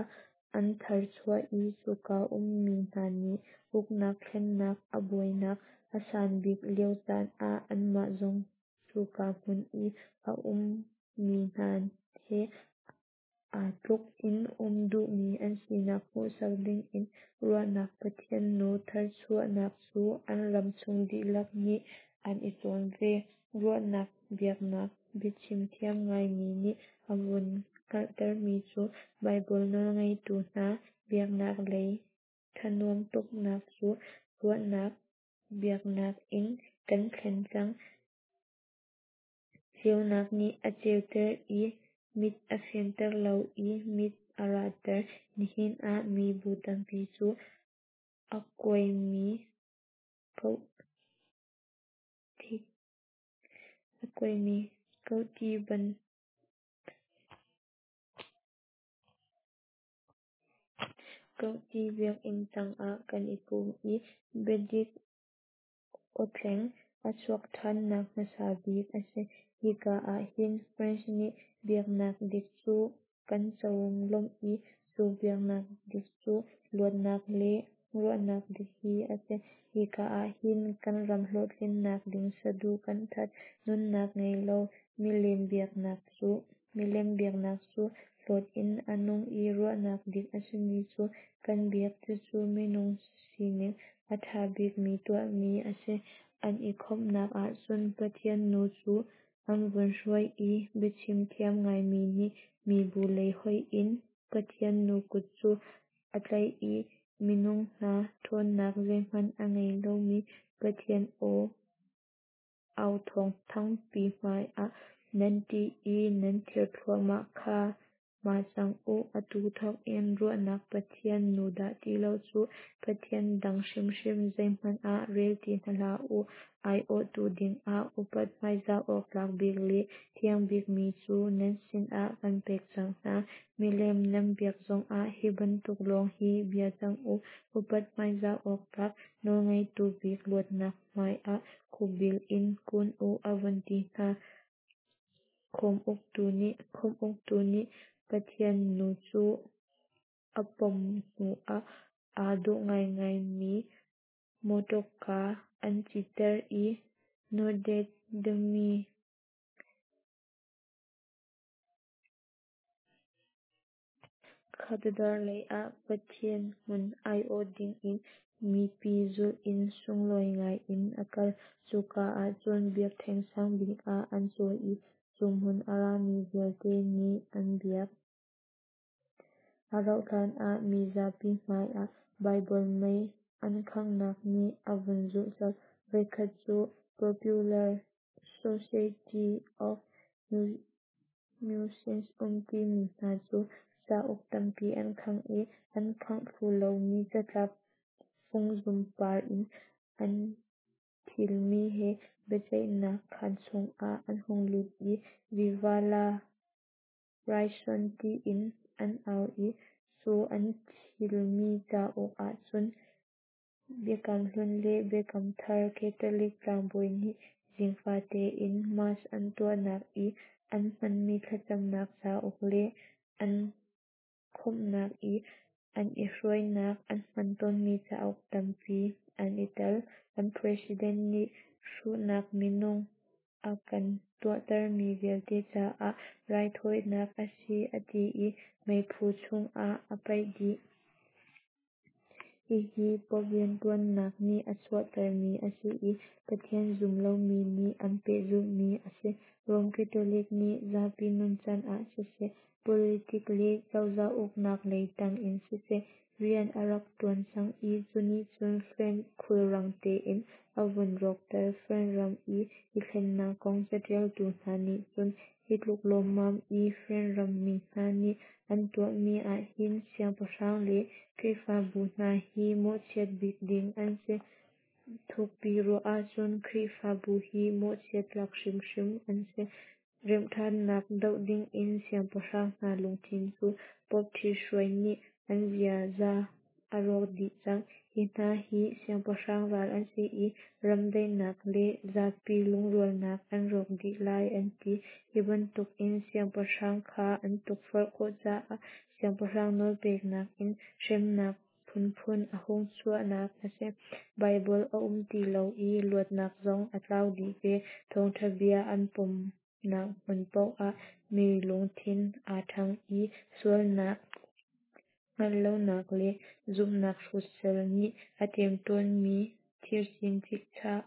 an tharchuah i cuka ummi hna nih uknak thlennak a buainak a san bik lio caan ah anmah zong cuka hmun i a ummi hna he aa tluk in um duhmi an sinak hmuhsak dingin ruahnak pathian nu tharchuahnak cu an ram chung dihlak nih an i cawn ve. Ruahnak biaknak biachim thiam ngaimi nih a vun hngalhtermi cu Baibal nawlngeitu hna biaknak lei Thanuam tuknak cu ruahnak biaknak in kan thlen cang. Ceunak nih a ceuter i mit a fianter lo i mit a ratter. Nihin ah mibu tampi cu a kuaimi Kohti biakinn tangah kan i pum i biadik awthleng a chuah ṭhannak hmasa bik a si. Hika ah hin French nih biaknak dik cu kan conglawmh i cu biaknak dik cu luatnak le ruahnak dik hi a si. Hika ah hin kan ram hlawhtlinnak ding saduh kan that. Nunnak ngei lo milem biaknak cu hlawt in a nung i ruahnak dik a simi cu kan biak. Cucu minung sining a ṭha bikmi tuahmi a si. An i khawmhnak ahcun Pathian nu cu an vun hruai i biachim thiam ngaimi nih mibu lei hoih in Pathian nu kut cu a tlaih i minung hna ṭhawnnak zeihmanh a ngei lomi Pathian aw authawng thangpi hmaiah nan ṭih i nan ther thluahmah kha ma cang u. Atu thawk in ruahnak Pathian nu dah ti lo cu Pathian dang hrimhrim zeihmanh ah rel ti hna hlah u. Aiawhtu dingah upat hmaizah awk tlak bik le thiang bikmi cu nan sinah kan pek cang hna. Milem nan biak zongah hi bantuk lawng hi bia cang u. Upat hmaizah awk tlak nawlngeitu bik luatnak hmaiah khukbil in kun u, a vun ti hna. Khawm uktu nih Pathian nu cu a pom hnuah aa dawh ngaingaimi mawtawka an citter i Notre Dame Cathedral leiah Pathian hmun aiawh dingin mipi zulh in sunglawi ngai in a kal. Cuka ahcun biakṭheng sang bik ah an cawi i cu hmun a rami vialte nih an biak. A rauh hlan ah mizapi hmaiah Baibal mei an khanghnak nih a vun zulh colh. Voikhat cu Popular Society of Musicians um timi hna cu cauk tampi an khangh i an khangh thlu lomi catlap fungzum par in an thilmi he biaceihnak khaan chungah an hung lut i "Viva la raison" tiin an au i cu an thilmi cauk ahcun Biakam Hlun le Biakam Thar Catholic tlangbawi nih zing fate in Mass an tuahnak i an hmanmi thlacamnak cauk le an khawmhnak i an i hruainak an hman tawnmi cauk tampi an i tel. An president nih hruhnak minung a kan tuahtermi vialte caah raithawinak a si a ti i meiphu chungah a paih dih. Hihi Pope rianṭuannak nih a chuahtermi a si i Pathian zum lomi nih an pehzulhmi a si. Rome Catholic nih zapi nuncan ah siseh, politik le cozah uknak lei tang in siseh, rian a rak ṭuan cang i cu nih cun French khulrang tein a vun rawkter. French ram i i thlennak kong caṭialtu hna nih cun hi tluk lawmmam i French rammi hna nih an tuahmi ahhin siangpahrang le Khrihfabu hna hi mawhchiat bik ding an si. Thukpi ruah ahcun Khrihfabu hi mawhchiat tlak hrimhrim an si. Remhṭhannak doh dingin siangpahrang hna lungthin cu Pope ṭhithruai nih an ziaza a rawk dih cang. Hi hna hi siangpahrang ral an si i ram daihnak le zapi lungrualnak an rawk dih lai an ti. Hi bantukin siangpahrang kha an tukforh khawh caah siangpahrang nawlpeknak in hremnak phunphun a hung chuahnak a si. Baibal a um ti lo i luatnak zong a tlau dih ve. Thawngṭha bia an pomnak hmun paoh ah mi lungthin aa ṭhang i sualnak hngalh lonak le zumhnak hrut sal nih a ṭemṭawnmi thircin chikchah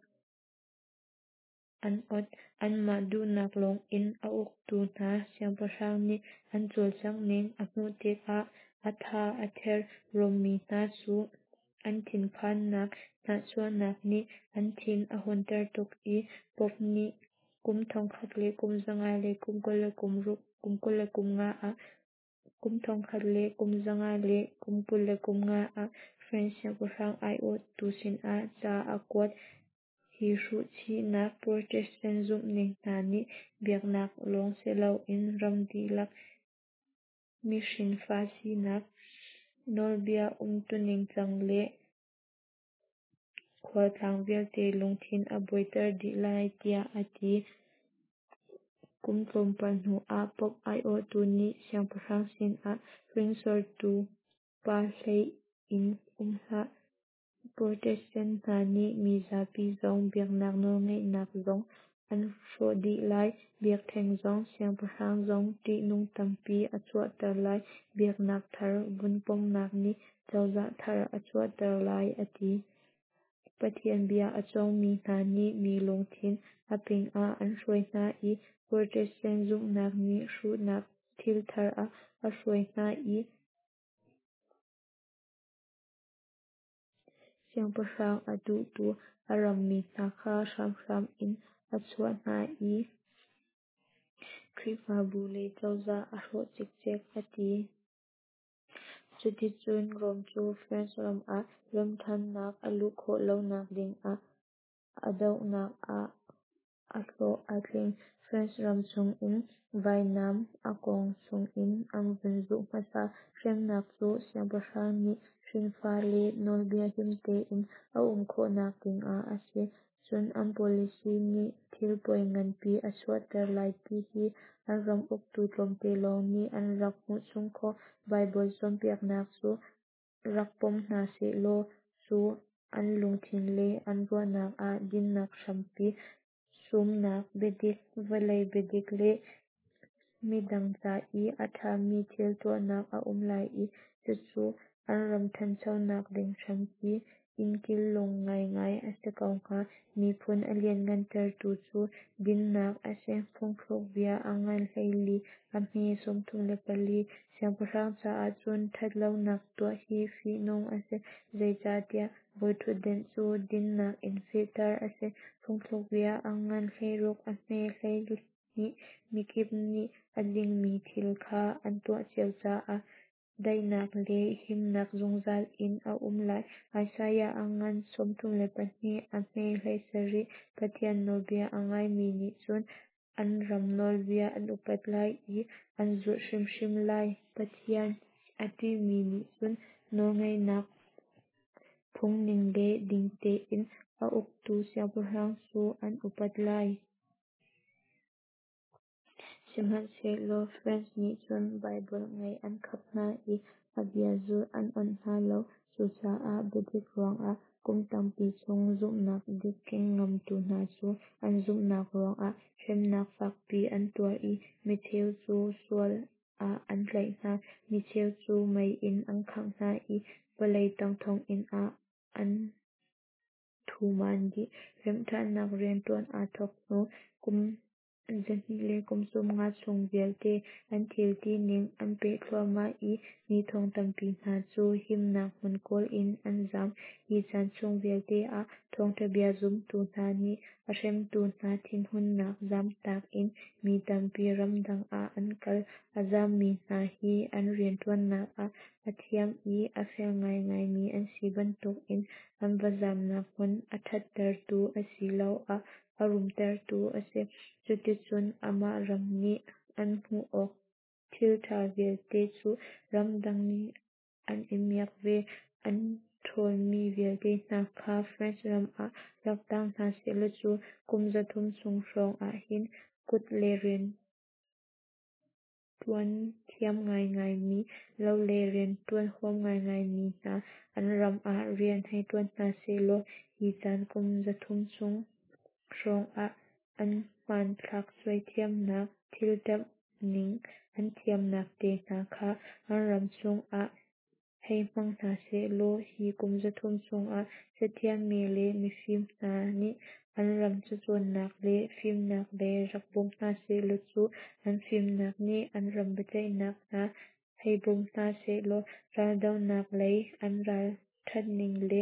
an ot. Anmah duhnak lawngin a uktu hna siangpahrang nih an cawlcangh ning a hmuh tikah a tha a ther. Rom mi hna cu. An thinphannak, hnahchuahnak nih an thin a hunter tuk i Pope nih kum 1925 ah 1925 ah France siangpahrang aiawhtu sinah ca a kuat. Hi hruhchihnak Protestant zumhning hna nih biaknak lawng siloin ram dihlak mihrinfa sinak, nawlbia umtuning cang le khualtlang vialte lungthin a buaiter dih lai tiah a ti. Kum tlawmpal hnuah Pope aiawhtu nih siangpahrang sinah hringsortu pa hlei in um hlah. Protestant hna nih mi zapi zong biaknak nawlngeihnak zong an hrawh dih lai. Biakṭheng zong siangpahrang zong ṭihnung tampi a chuahter lai. Biaknak thar vun pomnak nih cozah thar a chuahter lai a ti. Pathian bia a cawngmi hna nih mi lungthin a ping ah an hruai hna i Protestant zumhnak nih hruhnak thil thar ah a hruai hna i siangpahrang a duhtu a rammi hna kha hramhram in a chuah hna i Khrihfabu le cozah a hrawh cikcek a ti. Cuticun Rom cu France ram ah remhṭhannak a luh khawh lonak dingah a dohnak ah a hlawh a tling. France ram chungin vainam a kawng chungin an vun zuh hmasa. Hremnak cu siangpahrang nih hrinfa le nawlbia him tein a um khawhnak dingah a si. Cun an policy nih thil poi nganpi a chuahter lai ti hi an ram uktu tlawmte lawng nih an rak hmuh chung khawh. Baibal cawnpiaknak cu rak pom hna sehlaw cu an lungthin le an ruahnak ah dinnak hrampi sumnak biadik, vawlei biadik le midang ca i a ṭhami thil tuahnak a um lai i cucu an ram ṭhanchonak ding hrampi, innkil lung ngaingai a si ko hnga. Miphun a lianhngantertu cu dinnak a si. Phungthlukbia a ngan 14 a hme 34. Siangpahrang caah cun ṭhat lonak tuah hi fihnung a si, zeicahtiah bawiṭhutdan cu dinnak in fehter a si. Phungthlukbia a ngan 16 a hme 12. Mikip nih a dingmi thil kha an tuah cio caah daihnak le himnak zungzal in a um lai. Isaiah a ngan 32 a hme 17. Pathian nawlbia a ngaimi nih cun an ram nawlbia an upat lai i an zulh hrimhrim lai. Pathian a ṭihmi nih cun nawlngeihnak phungning le ding tein a uktu siangpahrang cu an upat lai. Sihmanhsehlaw France nih cun Baibal ngeih an khap hna i a bia zulh an onh hna lo. Cucaah biadik ruangah kum tampi chung zumhnak dik keng ngamtu hna cu an zumhnak ruangah hremnak fakpi an tuar i micheu cu sual ah an tlaih hna, micheu cu mei in an khangh hna i vawlei tang thonginn ah an thumaan dih. Remhṭhannak rianṭuan aa thawk hnu kum 250 chung vialte an thil tining an peh thluahmah i mi thong tampi hna cu himnak hmun kawl in an zam. Hi caan chung vialte ah thawngṭha bia zumtu hna nih a hremtu hna thinhunnak zamtak in mi tampi ramdang ah an kal. A zammi hna hi an rianṭuannak ah a thiam i a fel ngaingaimi an si bantukin an va zamnak hmun a ṭhattertu asiloah a rumtertu a si. Cuticun amah ram nih an hmuh awk thilṭha vialte cu ramdang nih an i miak ve. An ṭhawlmi vialte hna kha France ram ah rak tang hna sehlaw cu kum 300 chung hrawng ahhin kut le rianṭuan thiam ngaingaimi, lo lei rianṭuan huam ngaingaimi hna an ram ah rian hei ṭuan hna sehlaw hi caan kum 300 chung hrawng ah an hmanthlak suai thiamnak, thil ṭamhning an thiamnak te hna kha an ram chungah hei hmang hna sehlaw hi kum 300 chungah cathiammi le mifim hna nih an ram cacawnnak le fimnak lei rak bawm hna sehlaw cu an fimnak nih an ram biaceihnak hna hei bawm hna sehlaw raldohnak lei an ral ṭhatning le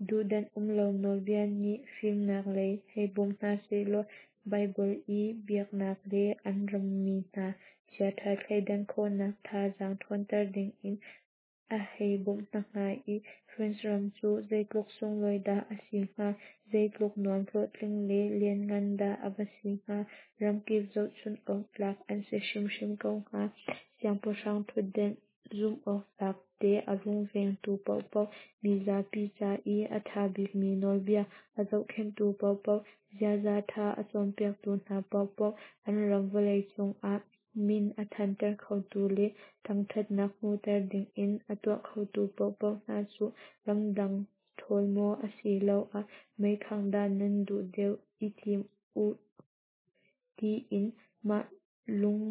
duhdanh umlo nawlbia nih fimnak lei hei bawm hna sehlaw, Baibal i biaknak le an rammi hna chiaṭha thleidan khawhnak thazaang ṭhawnter dingin a hei bawmh hna hnga i, France ram cu zeitluk sunglawi dah a si hnga, zeitluk nuam, hlawhtling le lianngan dah a va si hnga, ramkip zohchunh awk tlak an si hrimhrim ko hnga. Siangpahrang ṭhutdenh zumhawktlak te a rungvengtu paohpaoh, mizapi ca i a ṭha bikmi nawlbia a zohkhenhtu paohpaoh, ziaza ṭha a cawnpiaktu hna paohpaoh, an ram vawleicung ah min a thanter khotu le thangṭhatnak hmuhter dingin a tuah khotu paohpaoh hna cu ramdang ṭhawl maw asiloah meikhangh dah nan duh deuh i thim uh tiin mah lung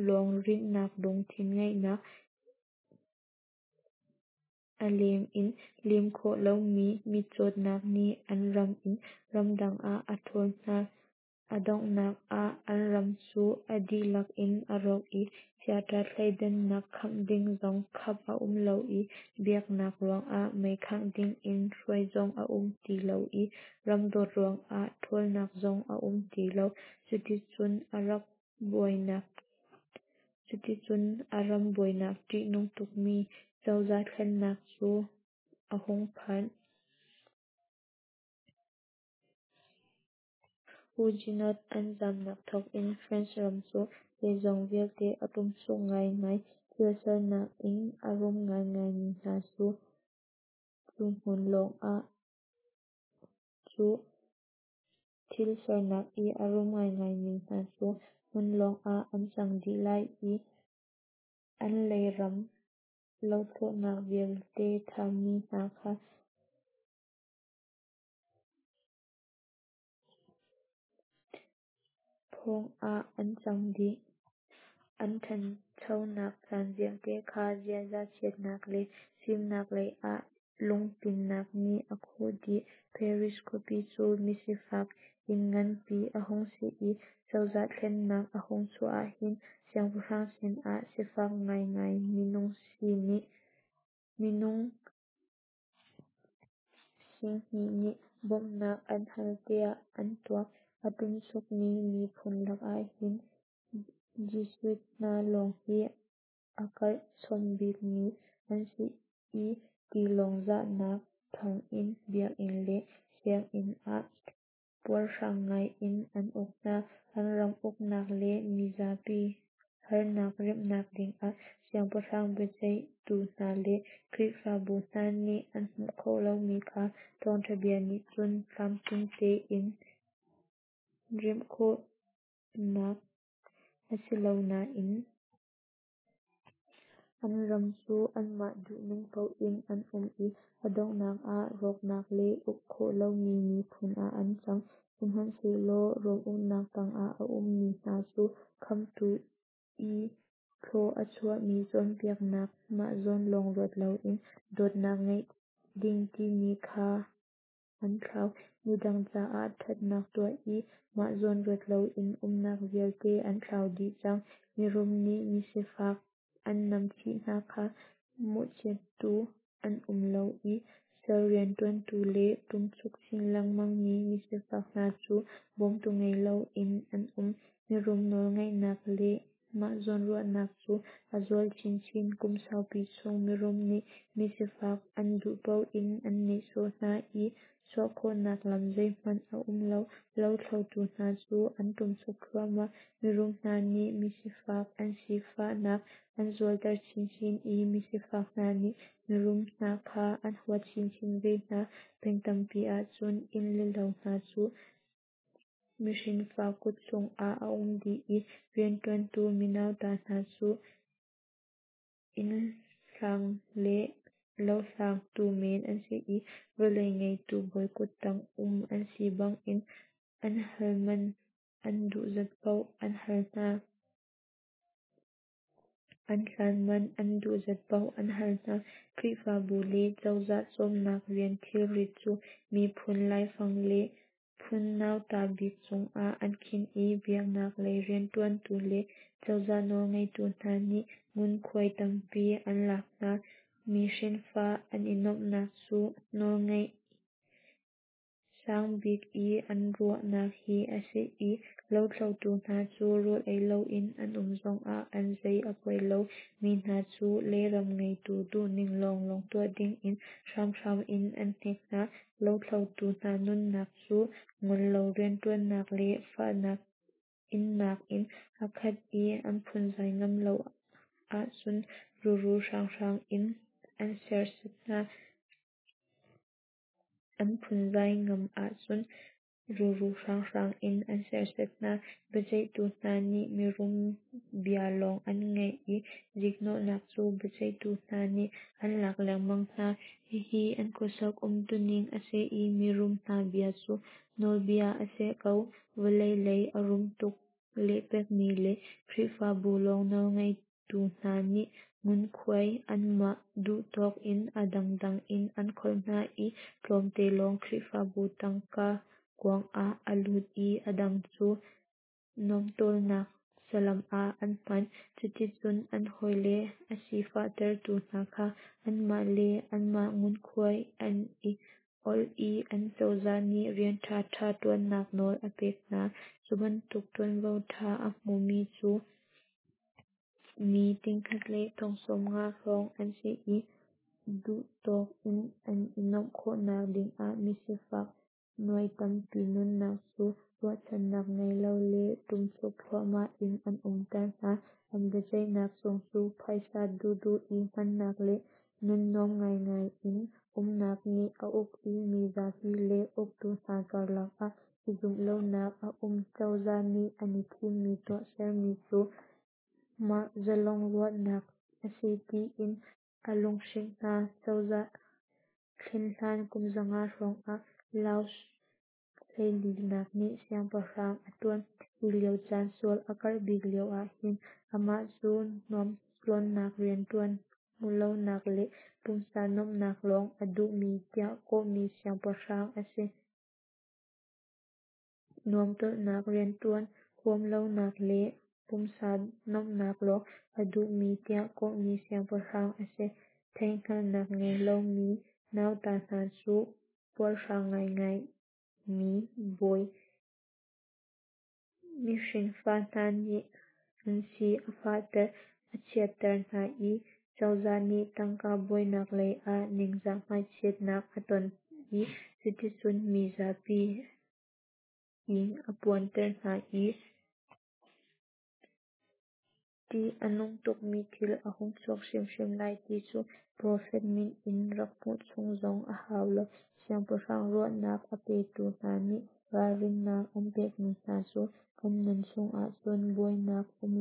lawng rinhnak lungthin ngeihnak, a lem in lem khawh lomi mitcawtnak nih an ram in ramdang ah a ṭhawl hna. A donghnak ah an ram cu a dihlak in a rawk i chiaṭha thleidannak khap ding zong khap a um lo i, biaknak ruangah meikhangh dingin hruai zong a um ti lo i, ramdawt ruangah ṭhawlnak zong a um ti lo. Cuticun a ram buainak ṭihnung tukmi cozah thlennak cu a hung phan. Huguenot an zamnak thawkin France ram cu zeizong vialte a ṭumchuk ngaingai. Thil sernak in a rum ngaingaimi hna cu cu hmun lawngah cu thil sernak i a rum ngaingaimi hna cu hmun lawngah an cang dih lai i, an leiram lothlawhnak vialte ṭhami hna kha phawng ah an cang dih. An ṭhanchonak caan vialte kha ziaza chiatnak le fimnak lei ah lungpinnak nih a khuh dih. Paris khuapi cu misifak inn nganpi a hung si i, cozah thlennak a hung chuah ahhin siangpahrang sinah sifak ngaingai minung 20,000 nih bawmhnak an hal tiah an tuak. A ṭumchukmi miphun lakah hin Jesuit hna lawng hi a karh chom bikmi an si i, tilawng zahnak thawngin biakinn le sianginn ah puarhrang ngai in an uk hna. An ram uknak le mizapi harnak remhnak dingah siangpahrang, biaceihtu hna le Khrihfabu hna nih an hmuh khawh lomi kha thawngṭha bia nih cun tlamtling tein remh khawhnak a si lo nain an ram cu anmah duhning paoh in an um i, a donghnak ah rawknak le uk khawh lomi miphun ah an cang. Sihmanhsehlaw Rom uknak tangah a ummi hna cu Khamhtu i thlaw a chuahmi cawnpiaknak mah zawn lawng ruat loin dawtnak ngeih ding timi kha an thlau. Midang caah ṭhatnak tuah i mah zawn ruat loin umnak vialte an thlau dih cang. Mirum nih misifak an namchih hna kha mawhchiattu an um lo i, sal rianṭuantu le ṭumchuk chin lengmangmi misifak hna cu bawmtu ngei loin an um. Mirum nawlngeihnak le mah zawnruahnak cu a zual chinchin. Kum saupi chung mirum nih misifak an duh paoh in an nehsawh hna i chuah khawhnak lam zeihmanh a um lo. Lothlotu hna cu an ṭumchuk thluahmah. Mirum hna nih misifak an sifahnak an zualter chinchin i, misifak hna nih mirum hna kha an huat chinchin ve hna. Peng tampi ahcun inn le lo hna cu mihrinfa kut chungah a um dih i, rianṭuantu minauta hna cu innhlang le lohlangtu men an si i, vawlei ngeitu bawi kuttang um an si bangin an hal man an duh zat paoh an hal hna. An hlan man an duh zat paoh an hal hna. Khrihfabu le cozah cawmnak rian thilrit cu miphun laifang le phun nauta bik cungah an khinh i, biaknak lei rianṭuantu le cozah nawlngeitu hna nih ngunkhuai tampi an lak hna. Mi hrinfa an i nuamhnak cu nawlngeih sang bik i an ruahnak hi a si i lothlotu hna cu rawl ei loin an um zongah an zei a poi lo. Mi hna cu leiram ngeitu duhning lawnglawng tuah dingin hramhram in an hnek hna. Lothlotu hna nunnak cu ngol lo rianṭuannak le fahnak innak in a khat i an phunzai ngam lo ahcun ruru hranghrang in an serhsat hna. An phunzai ngam ahcun ruru hranghrang in an serhsat hna. Biaceihtu hna nih mirum bia lawng an ngaih i ziknawhnak cu biaceihtu hna nih an lak lengmang hna. Hihi an khuasak umtuning a si i mirum hna bia cu nawlbia a si ko. Vawlei lei a rum tuk lehpekmi le Khrihfabu lawng nawlngeitu hna nih ngunkhuai anmah duhtawk in a dangdang in an kholh hna i tlawmte lawng Khrihfabu tangka kuang ah a lut i a dang cu nuamtawlnak salam ah an hman. Cuticun an hawile a sifahtertu hna kha anmah le anmah ngunkhuai an i awlh i an cozah nih rian ṭhaṭha ṭuannak nawl a pek hna. Cu bantuk ṭuanvo ṭha a hmumi cu mi tingkhat le thong 50 hrawng an si i duhtawk in an i nuamh khawhnak dingah misifak nuai tampi nunnak cu ruahchannak ngei lo le ṭumchuk thluahmah in an umter hna. An biaceihnak zung cu phaisa duhduh i hmannak le nun nuam ngaingai in umnak nih a uk i mizapi le uktu hna karlak ah i zumh lonak a um. Cozah nih an i thimmi tuahsermi cu mah zalong ruahnak a si tiin a lunghrinh hna. Cozah thlen hlan kum 500 hrawng ah Louis XIV nih siangpahrang a ṭuan. Hi lio caan sual a karh bik lio ahhin amah cu nuamtlawnnak rianṭuan hmuhlonak le pumsa nuamhnak lawng a duhmi tiah kawhmi siangpahrang a si. Nuamtawlnak rianṭuan huamlonak le pumsa nuamhnak lawng a duhmi tiah kawhmi siangpahrang a si. Theihhngalhnak ngei lomi nauta hna cu puarhrang ngaingai mi bawi mihrinfa hna nih an si a fahter, a chiatter hna i cozah nih tangka buainak lei ah ningzah hmaichiatnak a ton i cuticun mizapi ing a puanter hna i ṭih a nung tukmi thil a hung chuak hrimhrim lai ti cu profet min in rak hmuh chung zong a hau lo. Siangpahrang ruahnak a petu hna nih ralrinnak an pekmi hna cu kan nun chungah cun buainak um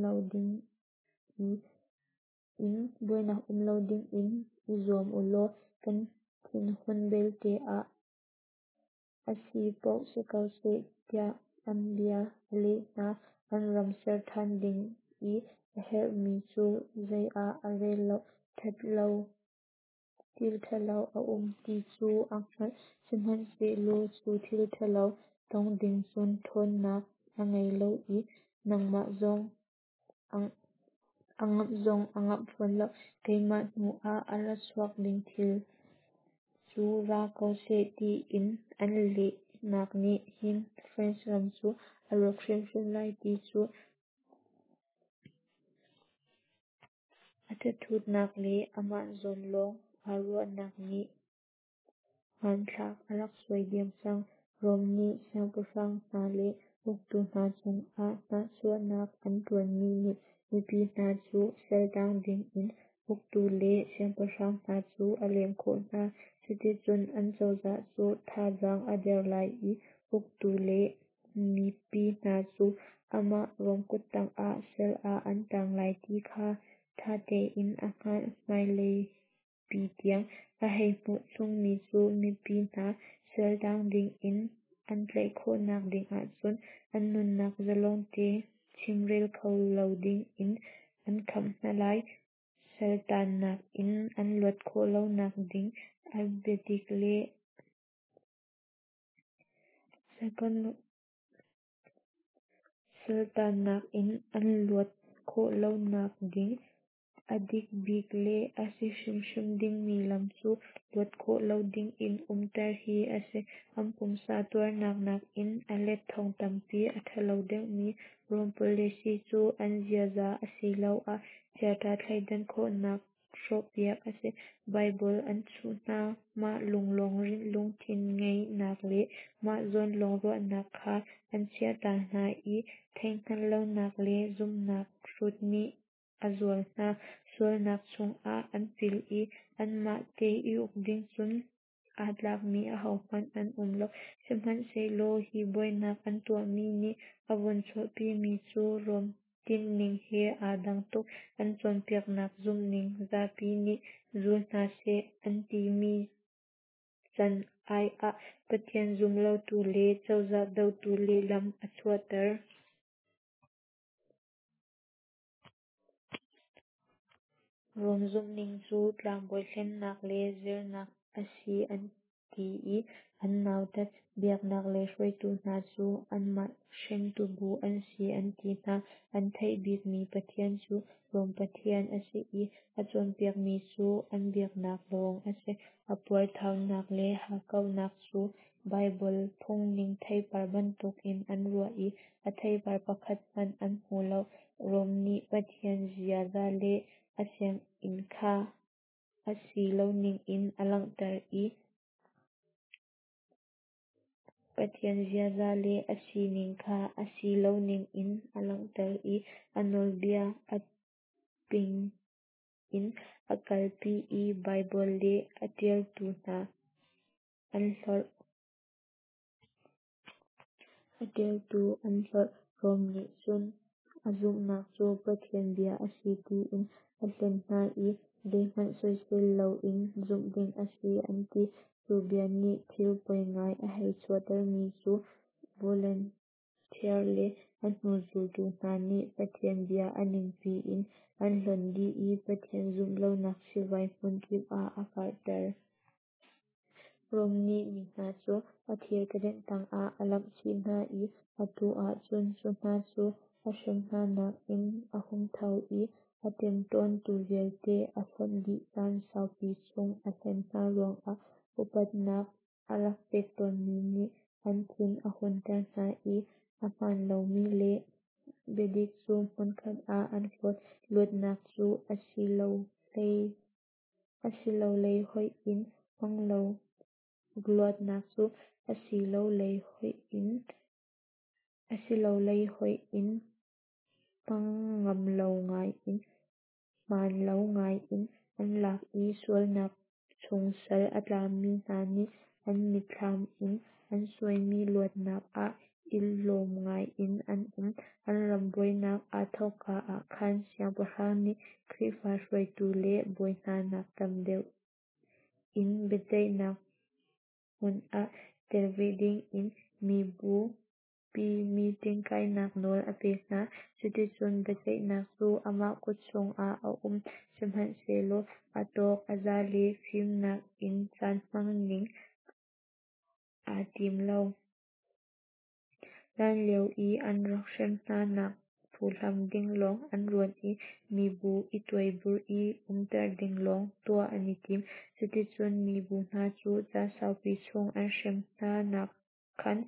lo dingin i zuam u law kan thinhun belte ah a si paoh si ko seh tiah an bia a leh hna. An ram ser ṭhan ding i a herhmi cu zei ah a rel lo. Thil ṭhalo a um ti cu a hngalh, sihmanhsehlaw cu thil ṭhalo tong ding cun ṭhawnnak a ngei lo i ngamh zong a ngamh fawn lo. Keimah hnu ah a ra chuak ding thil cu ra ko seh tiin an lehnak nih hin France ram cu a rawk hrimhrim lai ti cu a thathutnak le amah zawn lawng aa ruahnak nih hmanthlak a rak suai diam cang. Rom nih siangpahrang hna le uktu hna cungah hnahchuahnak an ṭuanmi nih mipi hna cu saltang dingin uktu le siangpahrang hna cu a lem khawh hna. Cuticun an cozah cu thazaang a der lai i uktu le mipi hna cu amah Rom kuttang ah sal ah an tang lai ti kha ṭha tein a hngalh. Hmaileipi tiang a hei hmuh chungmi cu mipi hna saltang dingin an tlaih khawhnak dingah cun an nunnak zalong te chimrel kho lo dingin an kham hna lai. Saltannak in an luat khawh lonak ding a biadik le saltannak in an luat khawh lonak ding. A dik bik le a si hrimhrim dingmi lam cu luat khawh lo dingin umter hi a si. An pumsa tuarnak nakin a let thong tampi a ṭhalo deuhmi Rom policy cu an ziaza asiloah chiaṭha thleidan khawhnak hrawhpiak a si. Baibal an chuh hna, mah lung lawng lungthin ngeihnak le mah zawn lawng ruahnak kha an chiahta hna i theihhngalhlonak le zumhnak hrut nih a zual hna. Sualnak chungah an pil i anmah te i uk ding cun aa tlakmi ahohmanh an um lo. Sihmanhsehlaw hi buainak an tuahmi nih a vun chuahpimi cu Rom tinhning he aa dang tuk. An cawnpiaknak zumhning zapi nih zul hna seh an timi can ai ah Pathian zum lotu le cozah dotu lehlam a chuahter. Rom zumhning cu tlangbawi hlennak le zernak a si an ti i an nautat. Biaknak lei hruaitu hna cu anmah hrengtu bu an si an ti hna. An theih bikmi Pathian cu Rom Pathian a si i a cawnpiakmi cu an biaknak lawng a si. A puarthaunak le hakkauhnak cu Baibal phungning theipar bantukin an ruah i a theipar pakhat hmanh an hmu lo. Rom nih Pathian ziaza le a sining kha a si loning in a langhter i Pathian ziaza le a sining kha a si loning in a langhter i a nawlbia a ping in a kalpi i Baibal le a ṭialtu hna an hlorh. A ṭialtu an hlorh. Rom nih cun a zumhnak cu Pathian bia a si tiin a hlen hna i zeihmanh soisel loin zumh ding a si an ti. Cu bia nih thil poi ngai a hei chuahtermi cu Voltaire le a hnu zultu hna nih Pathian bia a ningpi in an hlonh dih i Pathian zumh lonak sivai hmunkip ah a karhter. Rom nih mi hna cu a thir kedenh tangah a lamh chih hna i atu ahcun cu hna cu a hrem hnanak in a hung tho i a ṭemṭawntu vialte a hlonh dih. Caan saupi chung a hlen hna ruangah upatnak a rak pek tawnmi nih an thin a hunter hna i a hmaan lomi le biadik cu hmunkhat ah an hlawt. Luatnak cu a si lo lei hoih in hmang lo Luatnak cu a si lo lei hoih in hmang ngam lo ngai in hmaan lo ngai in an lak i sualnak chung sal a tangmi hna nih an mitthlam in an suaimi luatnak ah i lawm ngai in an um. An ram buainak aa thawkka ah khan siangpahrang nih Khrihfa hruaitu le bawi hna nak tam deuh in biaceihnak hmun ah tel ve dingin mibupi meeting kainak nawl a pek hna. Cuticun biaceihnak cu amah kut chungah a um. Sihmanhsehlaw a tawk a za le fimnak in caan hman ding aa tim lo. Hlanlio i an rak hrem hna nak phuhlam ding lawng an ruat i mibu i tuaiburh i umter ding lawng tuah an i tim. Cuticun mibu hna cu caan saupi chung an hrem hna nak khan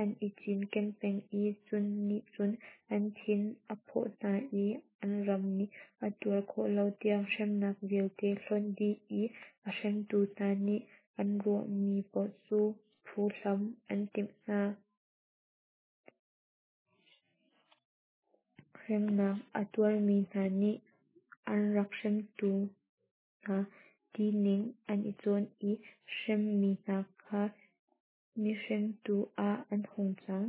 an i cinken peng i cu nih cun an thin a phawh hna i an ram nih a tuar khawh lo tiang hremnak vialte hlonh dih i a hremtu hna nih an ruahmi paoh cu phuhlam an timh hna. Hremnak a tuarmi hna nih an rak hremtu hna tining an i cawn i hremmi hna kha mihremtu ah an hung cang.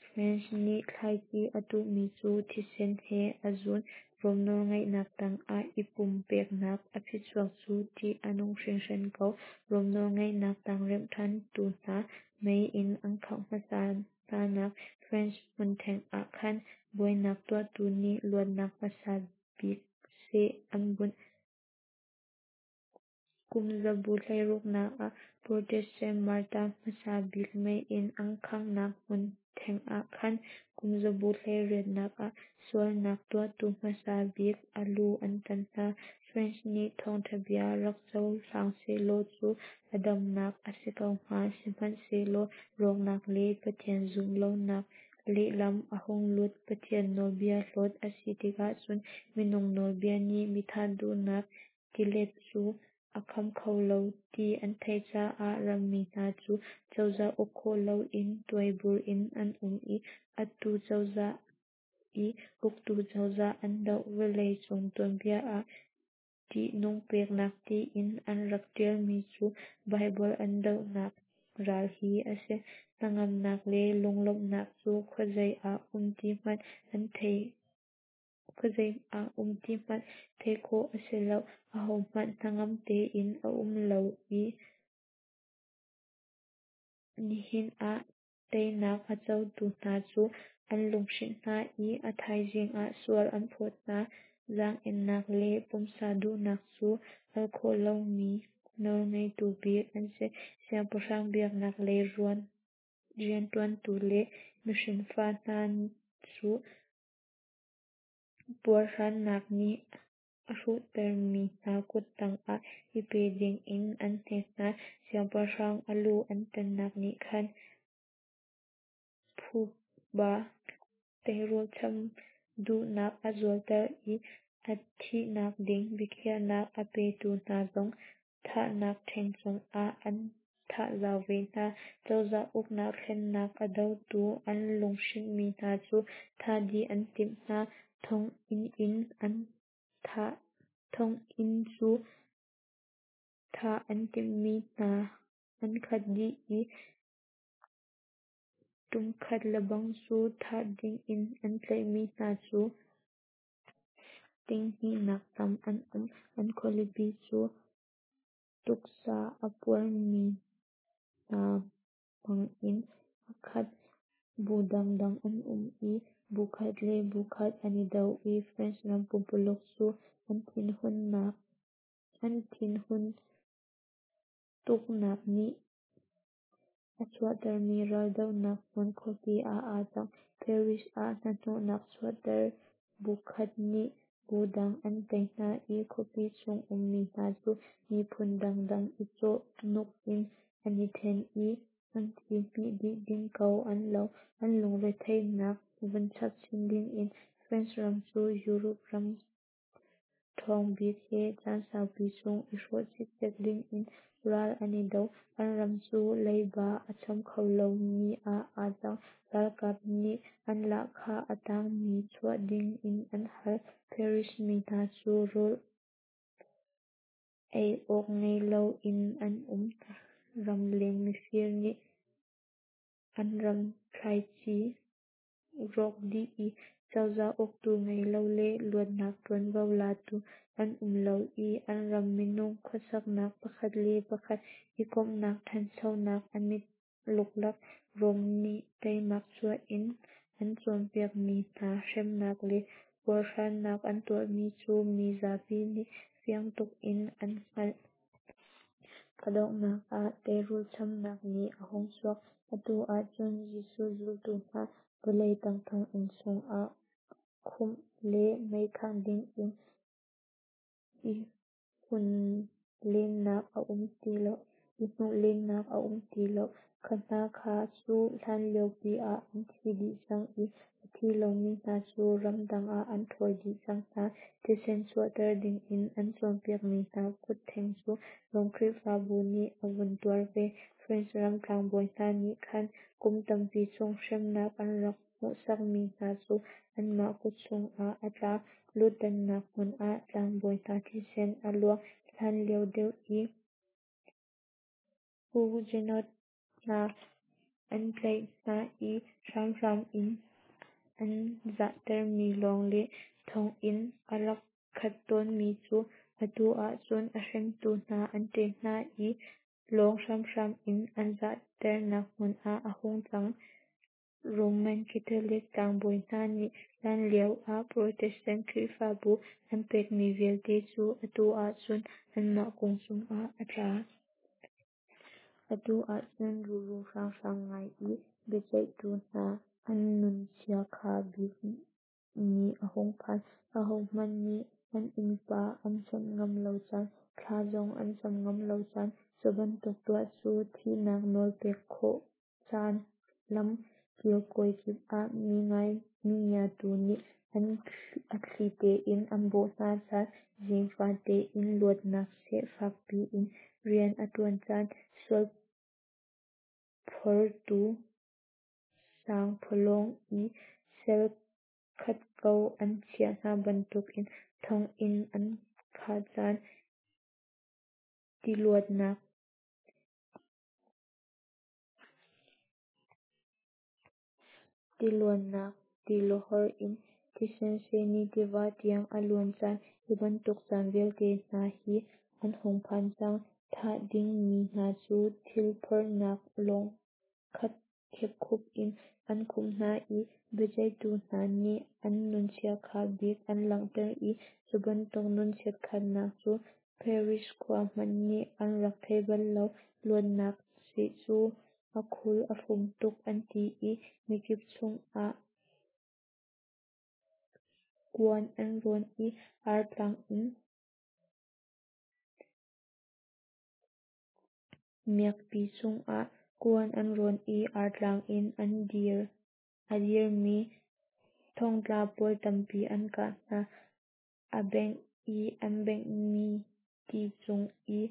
French nih thlaici a tuhmi cu thisen he a zun. Rom nawlngeihnak tangah i pumpeknak a phichuak cu ṭih a nung hringhran ko. Rom nawlngeihnak tang remh ṭhantu hna mei in an khangh hmasa hnanak French hmun theng ah khan buainak tuahtu nih luatnak hmasa bik seh an bunh. Kum zabu 16 nak ah Protestant martar hmasa bik mei in an khanghnak hmun. theng ah khan kumzabu 18nak ah sualnak tuahtu hmasa bik a lu an tan hna. French nih thawngtha bia rak cohlang sehlaw cu a damnak a si ko hnga. Sihmanhsehlaw rawknak le Pathian zumh lonak lehlam a hung lut. Pathian nawlbia hlawt a si tikah cun minung nawlbia nih mithah duhnak tilet cu a kham kho lo ti an theih caah rammi hna cu cozah uk khawh loin tuaibur in an um i atu cozah i uktu cozah an doh. Vawlei cung tuanbia ah tihnung peknak tiin an rak tialmi cu Baibal an dohnak ral hi a si. Hnangamnak le lunglawmhnak cu khuazei ah um ti hmanh an thei khuazei ah um ti hmanh theih khawh a si lo. Ahohmanh hnangam tein a um lo i nihin ah teinak a cotu hna cu an lunghrinh hna i a thaizing ah sual an phawt hna. Zaang-ennak le pumsa duhnak cu al khawh lomi nawlngeitu bik an si. Siangpahrang biaknak lei riantuantu le mihrinfa hna cu puarhrannak nih a hruhtermi hna kut tangah i pe dingin an hnek hna. Siangpahrang a lu an tannak nih khan phuba teirul cham duhnak a zualter i a thihnak ding biakhiahnak a petu hna zong thahnak ṭheng cungah an thah zau ve hna. Cozah uknak thlennak a dotu an lunghrinhmi hna cu thah dih an timh hna. Thonginn in an thah thonginn cu thah an timhmi hna an khat dih i ṭumkhat lebang cu thah dingin an tlaihmi hna cu 20,000 nak tam an um. An khualipi cu tuksa a puarmi hna hmang in a khat. Bu dangdang an um i bu khat le bu khat an i do i France ram pumpuluk cu an thinhun tuknak nih a chuahtermi raldohnak hmun khuapi ah aa cang. Paris ah hnahnawhnak chuahter bu khat nih bu dang an tei hna i khuapi chung ummi hna cu miphun dangdang i cawh nuk in an i then i an ci hmih dih ding ko an lo. An lungretheihnak vun chap chin dingin France ram cu Europe ram ṭhawng bik he caan saupi chung i hrawh cikcek dingin ral an i do. An ram cu leiba a cham kho lomi ah aa cang. Ralkap nih an lahkhah a tangmi chuah dingin an hal. Paris mi hna cu rawl ei awk ngei loin an um. Ramleng mifir nih an ram thlaici rawk dih i cozah uktu ngei lo le luatnak ṭuanvo latu an um lo i an ram minung khuasaknak pakhat le pakhat i komhnak ṭhanchonak a mit luklak. Rom nih teimak chuah in an cawnpiakmi hna hremnak le puarhrannak an tuahmi cu mi zapi nih fiang tuk in an hngalh. A donghnak ah teirul chamnak nih a hung chuak. Atu ahcun Jesuh zultu hna vawlei tang thonginn chungah khumh le meikhangh dingin i hnuh lennak a um ti lo. Kha hna kha cu hlanliopi ah an thi dih cang i a thi lomi hna cu ramdang ah an ṭhawl dih cang hna. Thisen chuahter dingin an cawnpiakmi hna kut theng cu Rom Khrihfabu nih a vun tuar ve. France ram tlangbawi hna nih khan kum tampi chung hremnak an rak hmuhsakmi hna cu anmah kut chungah a tla. Lutannak hmun ah tlangbawi hna thisen a luang. Hlanlio deuh i Huguenot hna an tlaih hna i hramhram in an zahtermi lawng le thonginn a rak khat tawnmi cu atu ahcun a hremtu hna an ṭe hna i lawng hramhram in an zahternak hmun ah a hung cang. Roman Catholic tlangbawi hna nih hlanlio ah Protestant Khrihfabu an pekmi vialte cu atu ahcun anmah kung cungah a tla. Atu ahcun ruru hranghrang ngai i Biaceihtu hna an nun chiakha bik ni a hung phan. Ahohmanh nih an innpa an chawnh ngam lo caan, thla zong an cam ngam lo caan, cu bantuk tuah cu thihnak nawl pek khawh caan, lam kilkawi kip ah mingiatu nih a thli tein an bawh hna caan, zing fate in luatnak seh fak piin rian a ṭuan caan, sualphortu sangphawlawng i cel khat ko an chiah hna bantukin thonginn an khah caan, ti luannak tilawhor in thisen seni tiva tiang a luan caan, hi bantuk caan vialte hna hi an hung phan cang. Thah dingmi hna cu thil phorhnak lawng kha khepkhup in an khumh hna i biaceihtu hna nih an nun chiakha bik an langhter i cu bantuk nun chiatkhatnak cu Paris khua hmanh nih an rak thei bal lo. Luatnak seh cu a khul a fum tuk an ti i mikip cungah kuan an rawn i artlang in miakpi cungah kuan an rawn i artlang in a dirmi thongtla pawl tampi an kah hna. A bengh i aa benghmi ti cung i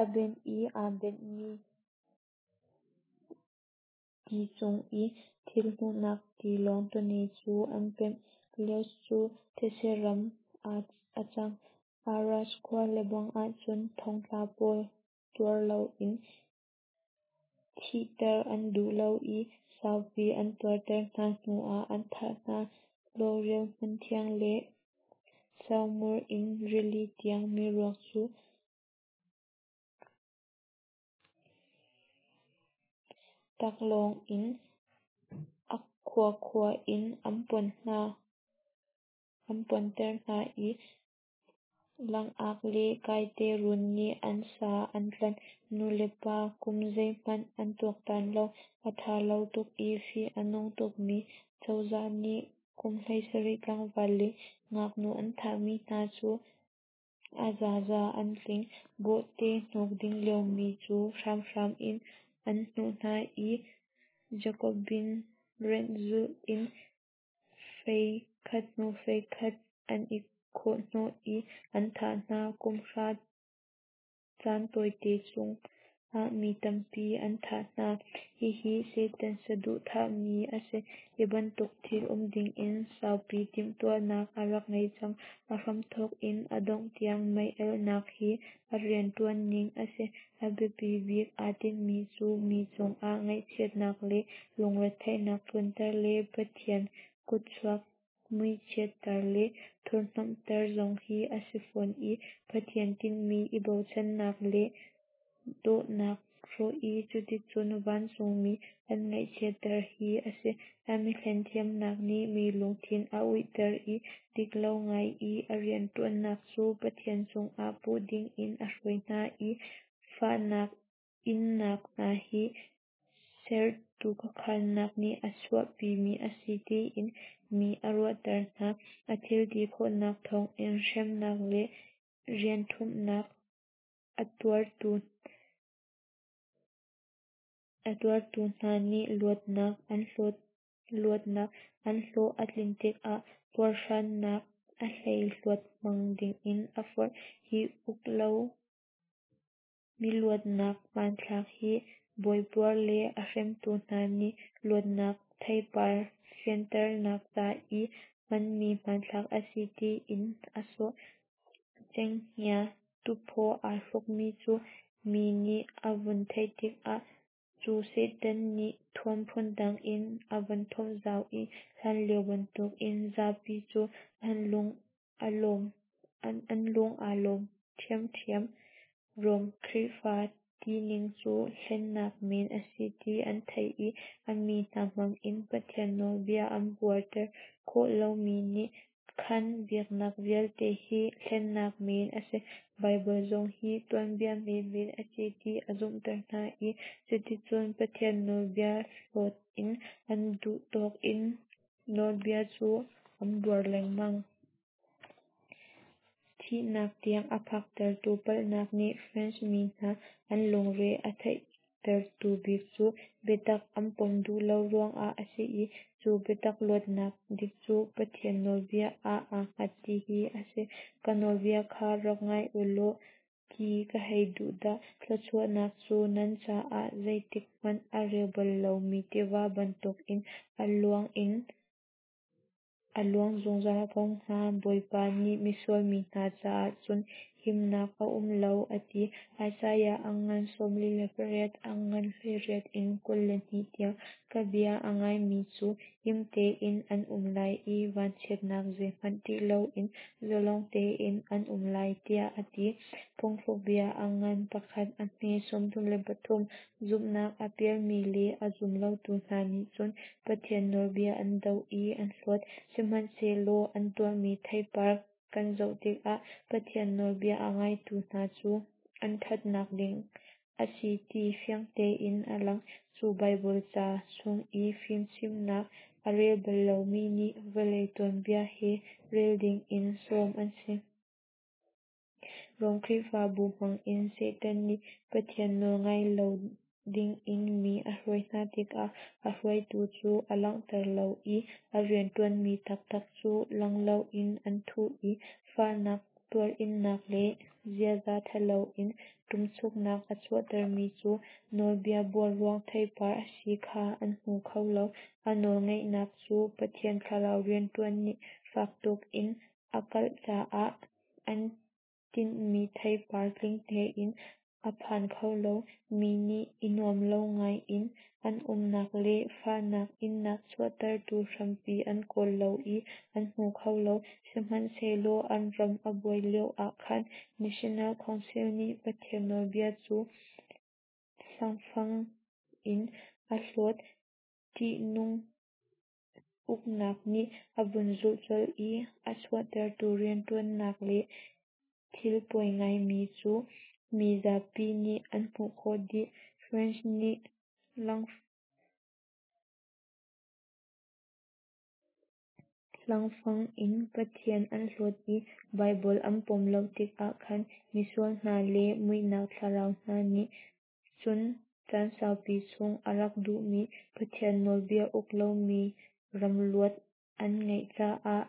a benh i aa benhmi ti cung i thil hnuhnak tilawng tawne cu an pemh. Lyons cu thetse ram ah a cang. Arras khua lebang ah cun thongtla pawl tuar loin thihter an duh lo i saupi an tuarter hna hnuah an thah hna. Lorel hmunthiang le Saumur in rili tiang miruak cu taklawng in a khuakhua in an ponter hna i langak le kaite run nih an sa an tlanh. Nulepa kum zeihmanh an tuaktan lo. A ttha lo tuk i fih a nung tukmi cozah nih kum 17 tlangval le ngaknu an thahmi hna cu a zaza an tling. Bawhte hnuk ding liomi cu hramhram in an hnuh hna i Jacobin rianh zulh in fei khat hnu fei khat an i khawh hnawh i an thah hna. Kum hra caan tawite chung ah mi tampi an thah hna. Hihi Satan saduhthahmi a si. Hi bantuk thil um dingin saupi timhtuahnak a rak ngei cang. A hramthawk in a dongh tiang mei-alhnak hi a rianṭuan ning a si. A biapi bik aa tinhmi cu mi cungah ngaihchiatnak le lungretheihnak tlunter le Pathian kutchuak muichiatter le thurhhnawmhter zong hi a si fawn i Pathian tinhmi i bochannak le dawtnak hrawh i cuticun vancungmi an ngaihchiatter hi a si. A mihlen thiamnak nih mi lungthin a uihter i dik lo ngai i a rianṭuannak cu Pathian cungah puh dingin a hruai hna i fahnak innak hna hi sertu khuakhannak nih a chuahpimi a si tiin mi a ruahter hna. A thil ti khawhnak thawngin hremnak le rianṭhumhnak a tuartu hna nih luatnak an hlawh a tlin tikah puarhrannak a hleihluat hmang dingin a forh. Hi uk lo miluatnak hmanthlak hi bawipuar le a hremtu hna nih luatnak theipar fianternak ca i hmanmi hmanthlak a si tiin a sawh. Cenghngia tuphaw aa hrukmi cu mi nih a vun theih tikah cu Satan nih thuam phundang in a vun thuamh zau i hlanlio bantukin zapi cu an lung aa lawm ṭhiamṭhiam. Rom Khrihfa tining cu hlennak men a si ti an theih i a mi hna hmangin Pathian nawlbia an buarter khawh lomi nih. Khan biaknak vialte hi hlennak men a si, Baibal zong hi tuanbia menmen a si ti a zumhter hna i cuticun Pathian nawlbia hlawt in an duh tawk in nawlbia cu an buar lengmang. Thihnak tiang a phaktertu palhnak nih French mi hna an lungre a theihtertu bik cu biatak an pom duh lo ruangah a si i cu biatak luatnak dik cu Pathian nawlbia ah aa hngat ti hi a si. Ka nawlbia kha rak ngai u law ti ka hei duh dah! Thluachuahnak cu nan caah zeitik hmanh a reu bal lomi tiva bantukin a luang in a luang zungzal ko hnga. Bawipa nih misual mi hna caah cun himnak a um lo, a ti. Isaiah a ngan 48 a ngan 18 in 22 tiang. Ka bia a ngaimi cu him tein an um lai i vanchiatnak zeihmanh ṭih loin zalong tein an um lai, tiah a ti. Phungthlukbia a ngan 1 a hme 33. Zumhnak a pialmi le a zum lotu hna nih cun Pathian nawlbia an doh i an hlawt. Sihmanhsehlaw an tuahmi theipar kan zoh tikah Pathian nawlbia a ngaitu hna cu an ṭhatnak ding a si ti fiang tein a lang. Cu Baibal ca chung i fimchimhnak a rel bal lomi nih vawlei tuanbia he rel ding in sawm an si. Rom Khrihfabu hmang in Satan nih Pathian nawl ngai lo dingin mi a hruai hna tikah a hruaitu cu a langhter lo i a rianṭuanmi taktak cu lang loin an thuh i fahnak tuarinnak le ziaza ṭhalo in ṭumchuknak a chuahtermi cu nawlbia buar ruang theipar a si kha an hmu kho lo. A nawlngeihnak cu Pathian Thlarau rianṭuan nih fak tuk in a kalh caah an tinhmi theipar tling tein a phan kho lo. Mi nih i nuam lo ngai in an umnak le fahnak innak chuahtertu hrampi an kawl lo i an hmu kho lo. Sihmanhsehlaw an ram a buai lio ah khan National Council nih Pathian nawlbia cu hlangfang in a hlawt. Ṭihnung uknak nih a vun zulh colh i a chuahtertu rianṭuannak le thil poi ngaimi cu mi zapi nih an hmuh khawh dih. French nih hlangfang in Pathian an hlawt i Baibal an pom lo tikah khan misual hna le muihnak thlarau hna nih cun caan saupi chung a rak duhmi Pathian nawlbia uk lomi ram luat an ngeih caah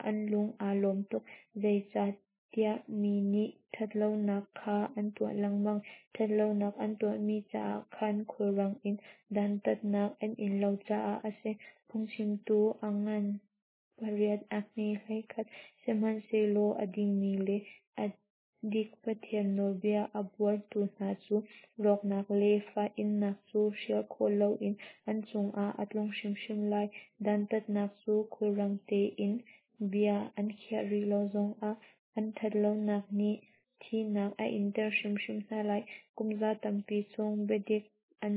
an lung aa lawm tuk. Zeicahtiah mi nih ṭhatlonak kha an tuah lengmang. Ṭhatlonak an tuahmi caah khan khulrang in dantatnak an in lo caah a si. Phungchimtu a ngan 8 a hme 11. Sihmanhsehlaw a dingmi le a dik Pathian nawlbia a buartu hna cu rawknak le fah-innak cu hrial khawh loin an cungah a tlung hrimhrim lai. Dantatnak cu khulrang tein bia an khiah rih lo zongah an ṭhatlonak nih thihnak a inter hrimhrim hna lai. Kumza tampi chung biadik an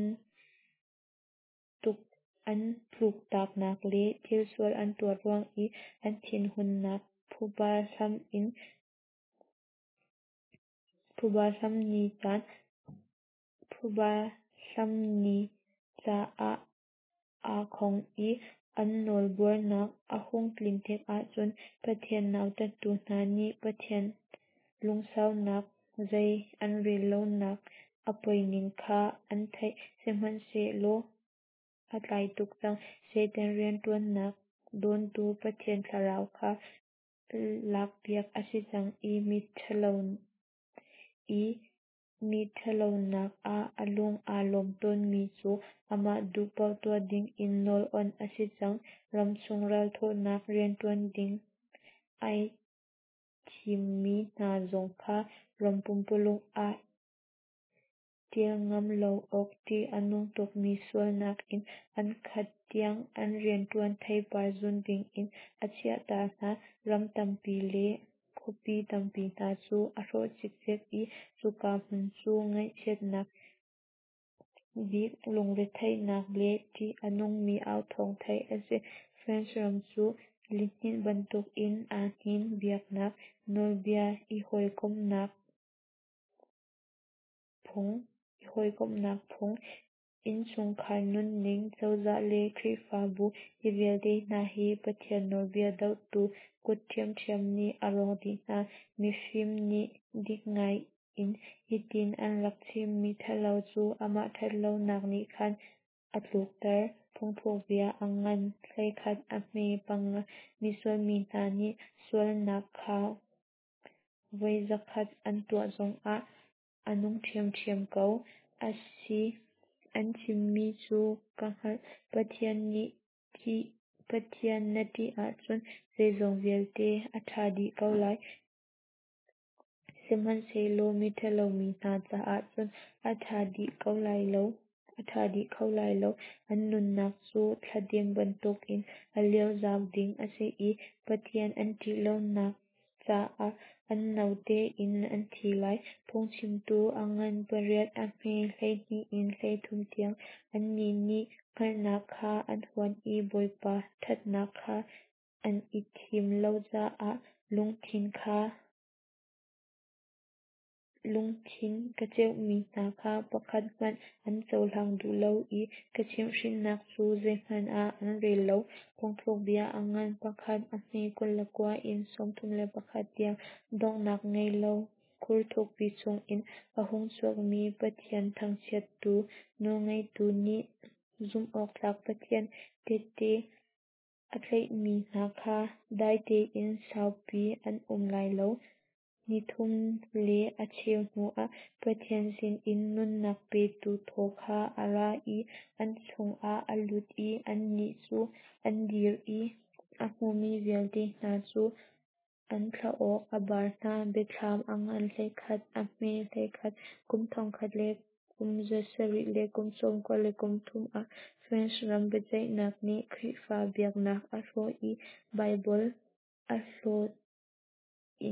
an tluktaknak le thil sual an tuah ruang i an thinhunnak phuba hlam in phuba hlam ni caan phuba hlam ni caah aa khong i an nawlbuarnak a hung tlin tikah cun Pathian nautattu hna nih Pathian lungsaunak zei an rel lonak a poining kha an theih. Sihmanhsehlaw a tlai tuk cang. Satan rianṭuannak dawntu Pathian Thlarau kha lakpiak a si cang i miṭhalo i mi ṭhatlonak ah a lung aa lawm tawnmi cu amah duh paoh tuah dingin nawl awnh a si cang. Ramchung ralthawhnak rianṭuan ding ai thimmi hna zong kha ram pumpululuk ah ṭial ngam lo awk ṭih a nung tukmi sualnak in an khat tiang an rianṭuan theipar zun dingin a chiahta hna. Ram tampi le khuapi tampi hna cu a hrawh cikcek i cuka hmun cu ngaihchiatnak bik lungretheihnak le ṭih a nungmi authawng theih a si. French ram cu Lihninh bantukin aa hnin. Biaknak nawlbia, i hawikomhnak phung, innchungkhar nunning, cozah le Khrihfabu, hi vialte hna hi Pathian nawlbia dohtu kut ṭhiamṭhiam nih a rawk dih hna. Mifim nih dik ngai in hitin an rak chim: Miṭhalo cu amah ṭhatlonak nih khan a tlukter. Phungthlukbia a ngan 11 a hme 5. Misual mi hna nih sualnak kha voi 100 an tuah zongah a nung ṭhiamṭhiam ko. A si, an chimmi cu ka hngalh. Pathian na ṭih ahcun zeizong vialte a ṭha dih ko lai, sihmanhsehlaw miṭhalo mi hna caah cun a ṭha dih kho lai lo. An nunnak cu thladem bantukin a liozau ding a si i Pathian an ṭih lonak caah an no tein an thi lai. Phungchimtu a ngan 8 a hme 12 in 13 tiang. Annih nih hngalhnak kha an huat i Bawipa ṭhatnak kha an i thim lo caah lungthin ka cheuhmi hna kha pakhat hmanh an cohlang duh lo i ka chimhhrinnak cu zeihmanh ah an rel lo. Phungthlukbia a ngan 1 a hme 29 in 31 tiang. Donghnak ngei lo khur thukpi chungin a hung chuakmi Pathian thangchiattu nawlngeitu nih zumhawktlak Pathian tehte a tlaihmi hna kha dai tein saupi an um lai lo. Ni thum le a cheu hnuah Pathian sinin nunnak petu thaw kha a ra i an chungah a lut i annih cu an dir i a hmumi vialte hna cu an thlaawk a bar hna. Biathlam a ngan 11 a hme 11. Kum 1793 ah France ram biaceihnak nih Khrihfa biaknak a hrawh i Baibal a hlawt i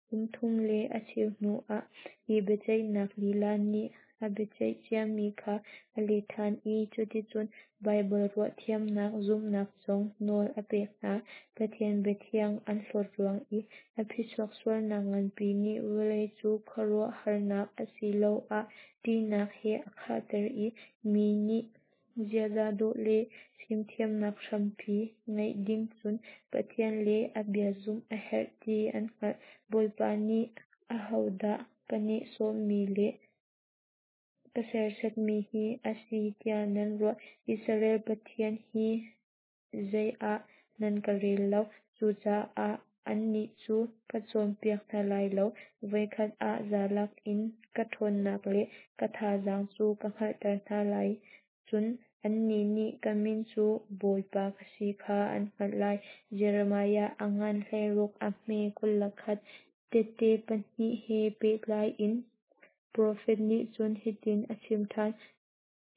kum thum le a cheu hnuah hi biaceihnak lila nih a biaceih ciami kha a let ṭhan i cuticun Baibal ruahthiamnak zumhnak zong nawl a pek hna. Pathian biathiang an hlawt ruang i a phichuak sualnak nganpi nih vawlei cu khuaruahharnak asiloah ṭihnak he a khahter i mi nih ziaza dawh le fimthiamnak hrampi ngeih ding cun Pathian le a bia zumh a herh ti an hngalh. Bawipa nih ahodah ka nehsawhmi le ka serhsatmi hi a si tiah nan ruah? Israel Pathian hi zei ah nan ka rel lo. Cucaah annih cu ka cawnpiak hna lai lo. Voikhat ah zalak in ka ṭhawnnak le ka thazaang cu ka hngalhter hna lai. Cun annih nih ka min cu Bawipa ka si kha an hngalh lai. Jeremiah a ngan 16 a hme 21. Tehte pahnih he pehtlai in profet nih cun hitin a chim ṭhan: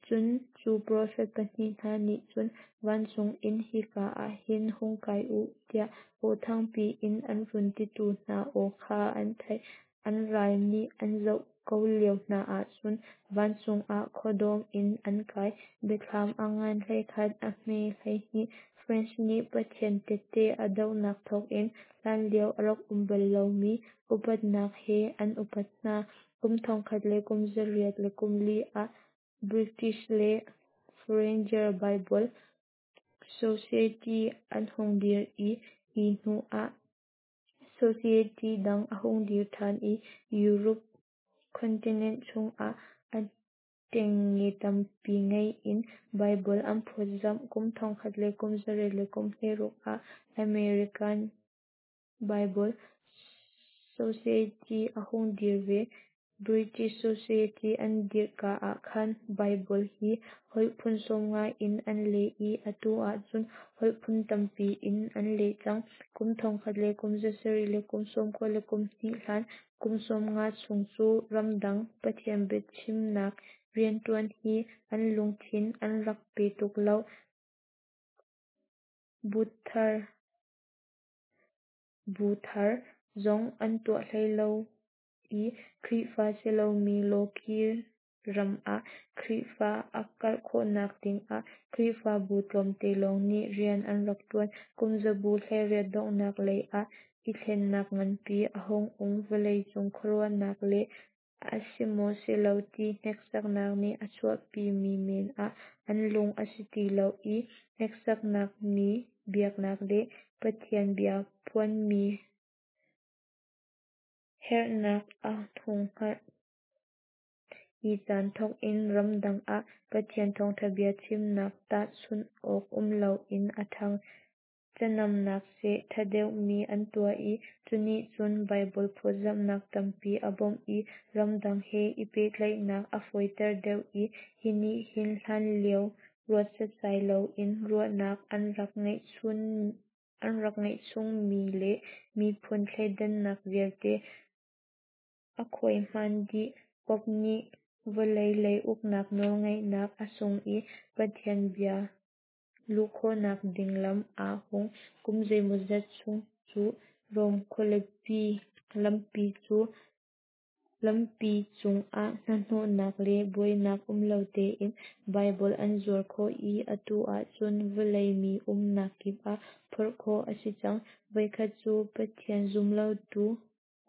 Cun cu profet pahnih hna nih cun vancung in, Hika ah hin hung kai u, tiah aw thangpi in an run titu hna aw kha an theih. An ral nih an zoh ko lio hna ah cun vancung ah khuadawm in an kai. Biathlam a ngan 11 a hme 12. France nih Pathian tehte a dohnak thawngin hlanlio a rak um bal lomi upatnak he an upat hna. Kum 1804 ah British le Foreigner Bible Society an hung dir i hi hnu ah Society dang a hung dir ṭhan i Europe continent chungah a ṭengnge tampi ngei in Baibal an phawtzamh. Kum 1816 ah American Bible Society a hung dir ve. British Society an dirhka ah khan Baibal hi holh phun 50 in an leh i atu ahcun holh phun tampi in an leh cang. Kum 1792 hlan kum 50 chung cu ramdang Pathian biachimnak rianṭuan hi an lungthin an rak pe tuk lo. Bu thar zong an tuah hlei lo i Khrihfa si lomi lawkih ram ah Khrihfa a karh khawhnak dingah Khrihfabu tlawmte lawng nih rian an rak ṭuan. Kum zabu 18 donghnak lei ah i thlennak nganpi a hung um. Vawleicung khuaruahnak le a si maw si lo ti hneksaknak nih a chuahpimi men ah an lung a si ti lo i hneksakmi biaknak le Pathian bia phuanmi herhnak an hung hngalh. Hi caan thawk in ramdang ah Pathian thawngṭha bia chimnak tahchunh awk um loin a ṭhang. Canamnak seh ṭha deuhmi an tuah i cu nih cun Baibal phawtzamhnak tampi a bawmh i ramdang he i pehtlaihnak a fawiter deuh i hi nih hin hlanlio ruat setsai loin ruahnak an rak ngeih chungmi le miphun thleidannak vialte a khuaihman dih. Pope nih vawlei lei uknak nawlngeihnak a sung i Pathian bia luh khawhnak ding lam aa hung. Kum zeimawzat chung cu Rom khualipi lampi cungah hnahnawhnak le buainak um lo tein Baibal an zuar khawh i atu ahcun vawlei mi umnak kip ah phorh khawh a si cang. Voikhat cu Pathian zumlotu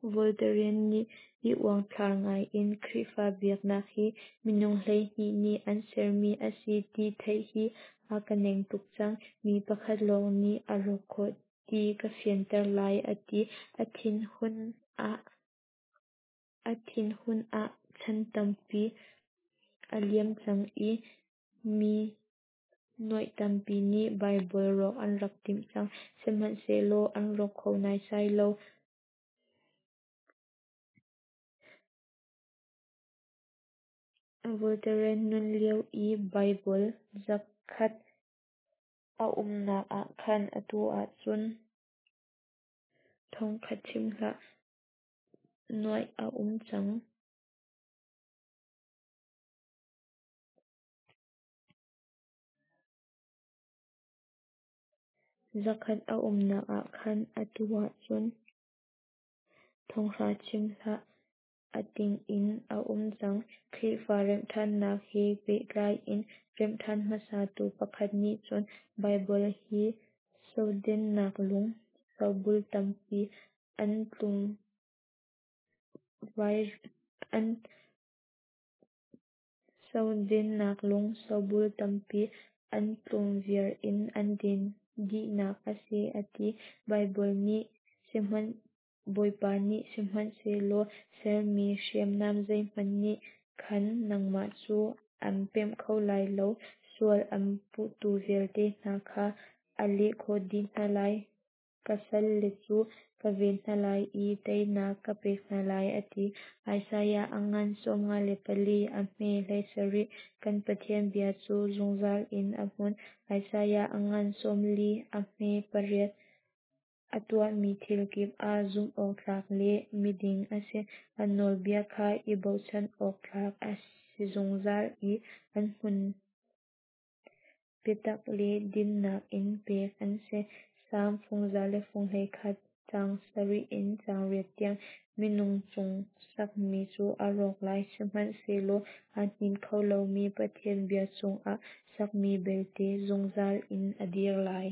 Voltaire nih i uangthlar ngaiin Khrihfa biaknak hi minung 12 nih an sermi a si ti theih hi a ka neng tuk cang. Mi pakhat lawng nih a rawk khawh ti ka fianter lai a ti. A thinhun ah chan tampi a liam cang i mi nuaih tampi nih Baibal rawk an rak timh cang. Sihmanhsehlaw an rawk kho naisai lo. Voltaire nun lio i Baibal 100 a umnak ah khan atu ahcun 1000 chim hlah, nuaih a um cang. 100 a umnak ah khan atu ahcun 3000 chim hlah, a ting in a um cang. Khrihfa remhṭhannak he pehtlai in remhṭhan hmasatu pakhat nih cun Baibal hi sodennak lung, sobul tampi an tlum viar in an den dihnak a si a ti. Bawipa nih sihmanhsehlaw sermi hriamnam zeihmanh nih khan nangmah cu an pemh kho lai lo, sual an puhtu vialte hna kha a leh khawh dih hna lai. Ka salle cu ka ven hna lai i teinak ka pek hna lai, a ti. Isaiah a ngan 54, a hme 17. Kan Pathian bia cu zungzal in a hmun. Isaiah a ngan 40, a hme 8. A tuahmi thil kip ah zumhawktlak le miding a si. A nawlbia kha i bochan awk tlak a si zungzal i an hmun. Biatak le dinnak in pek an si. Salm 121, caang 7 in caang 8 tiang. Minung tung sakmi cu a rawk lai, sihmanhsehlaw aa hnin kho lomi Pathian bia cungah sakmi belte zungzal in a dir lai.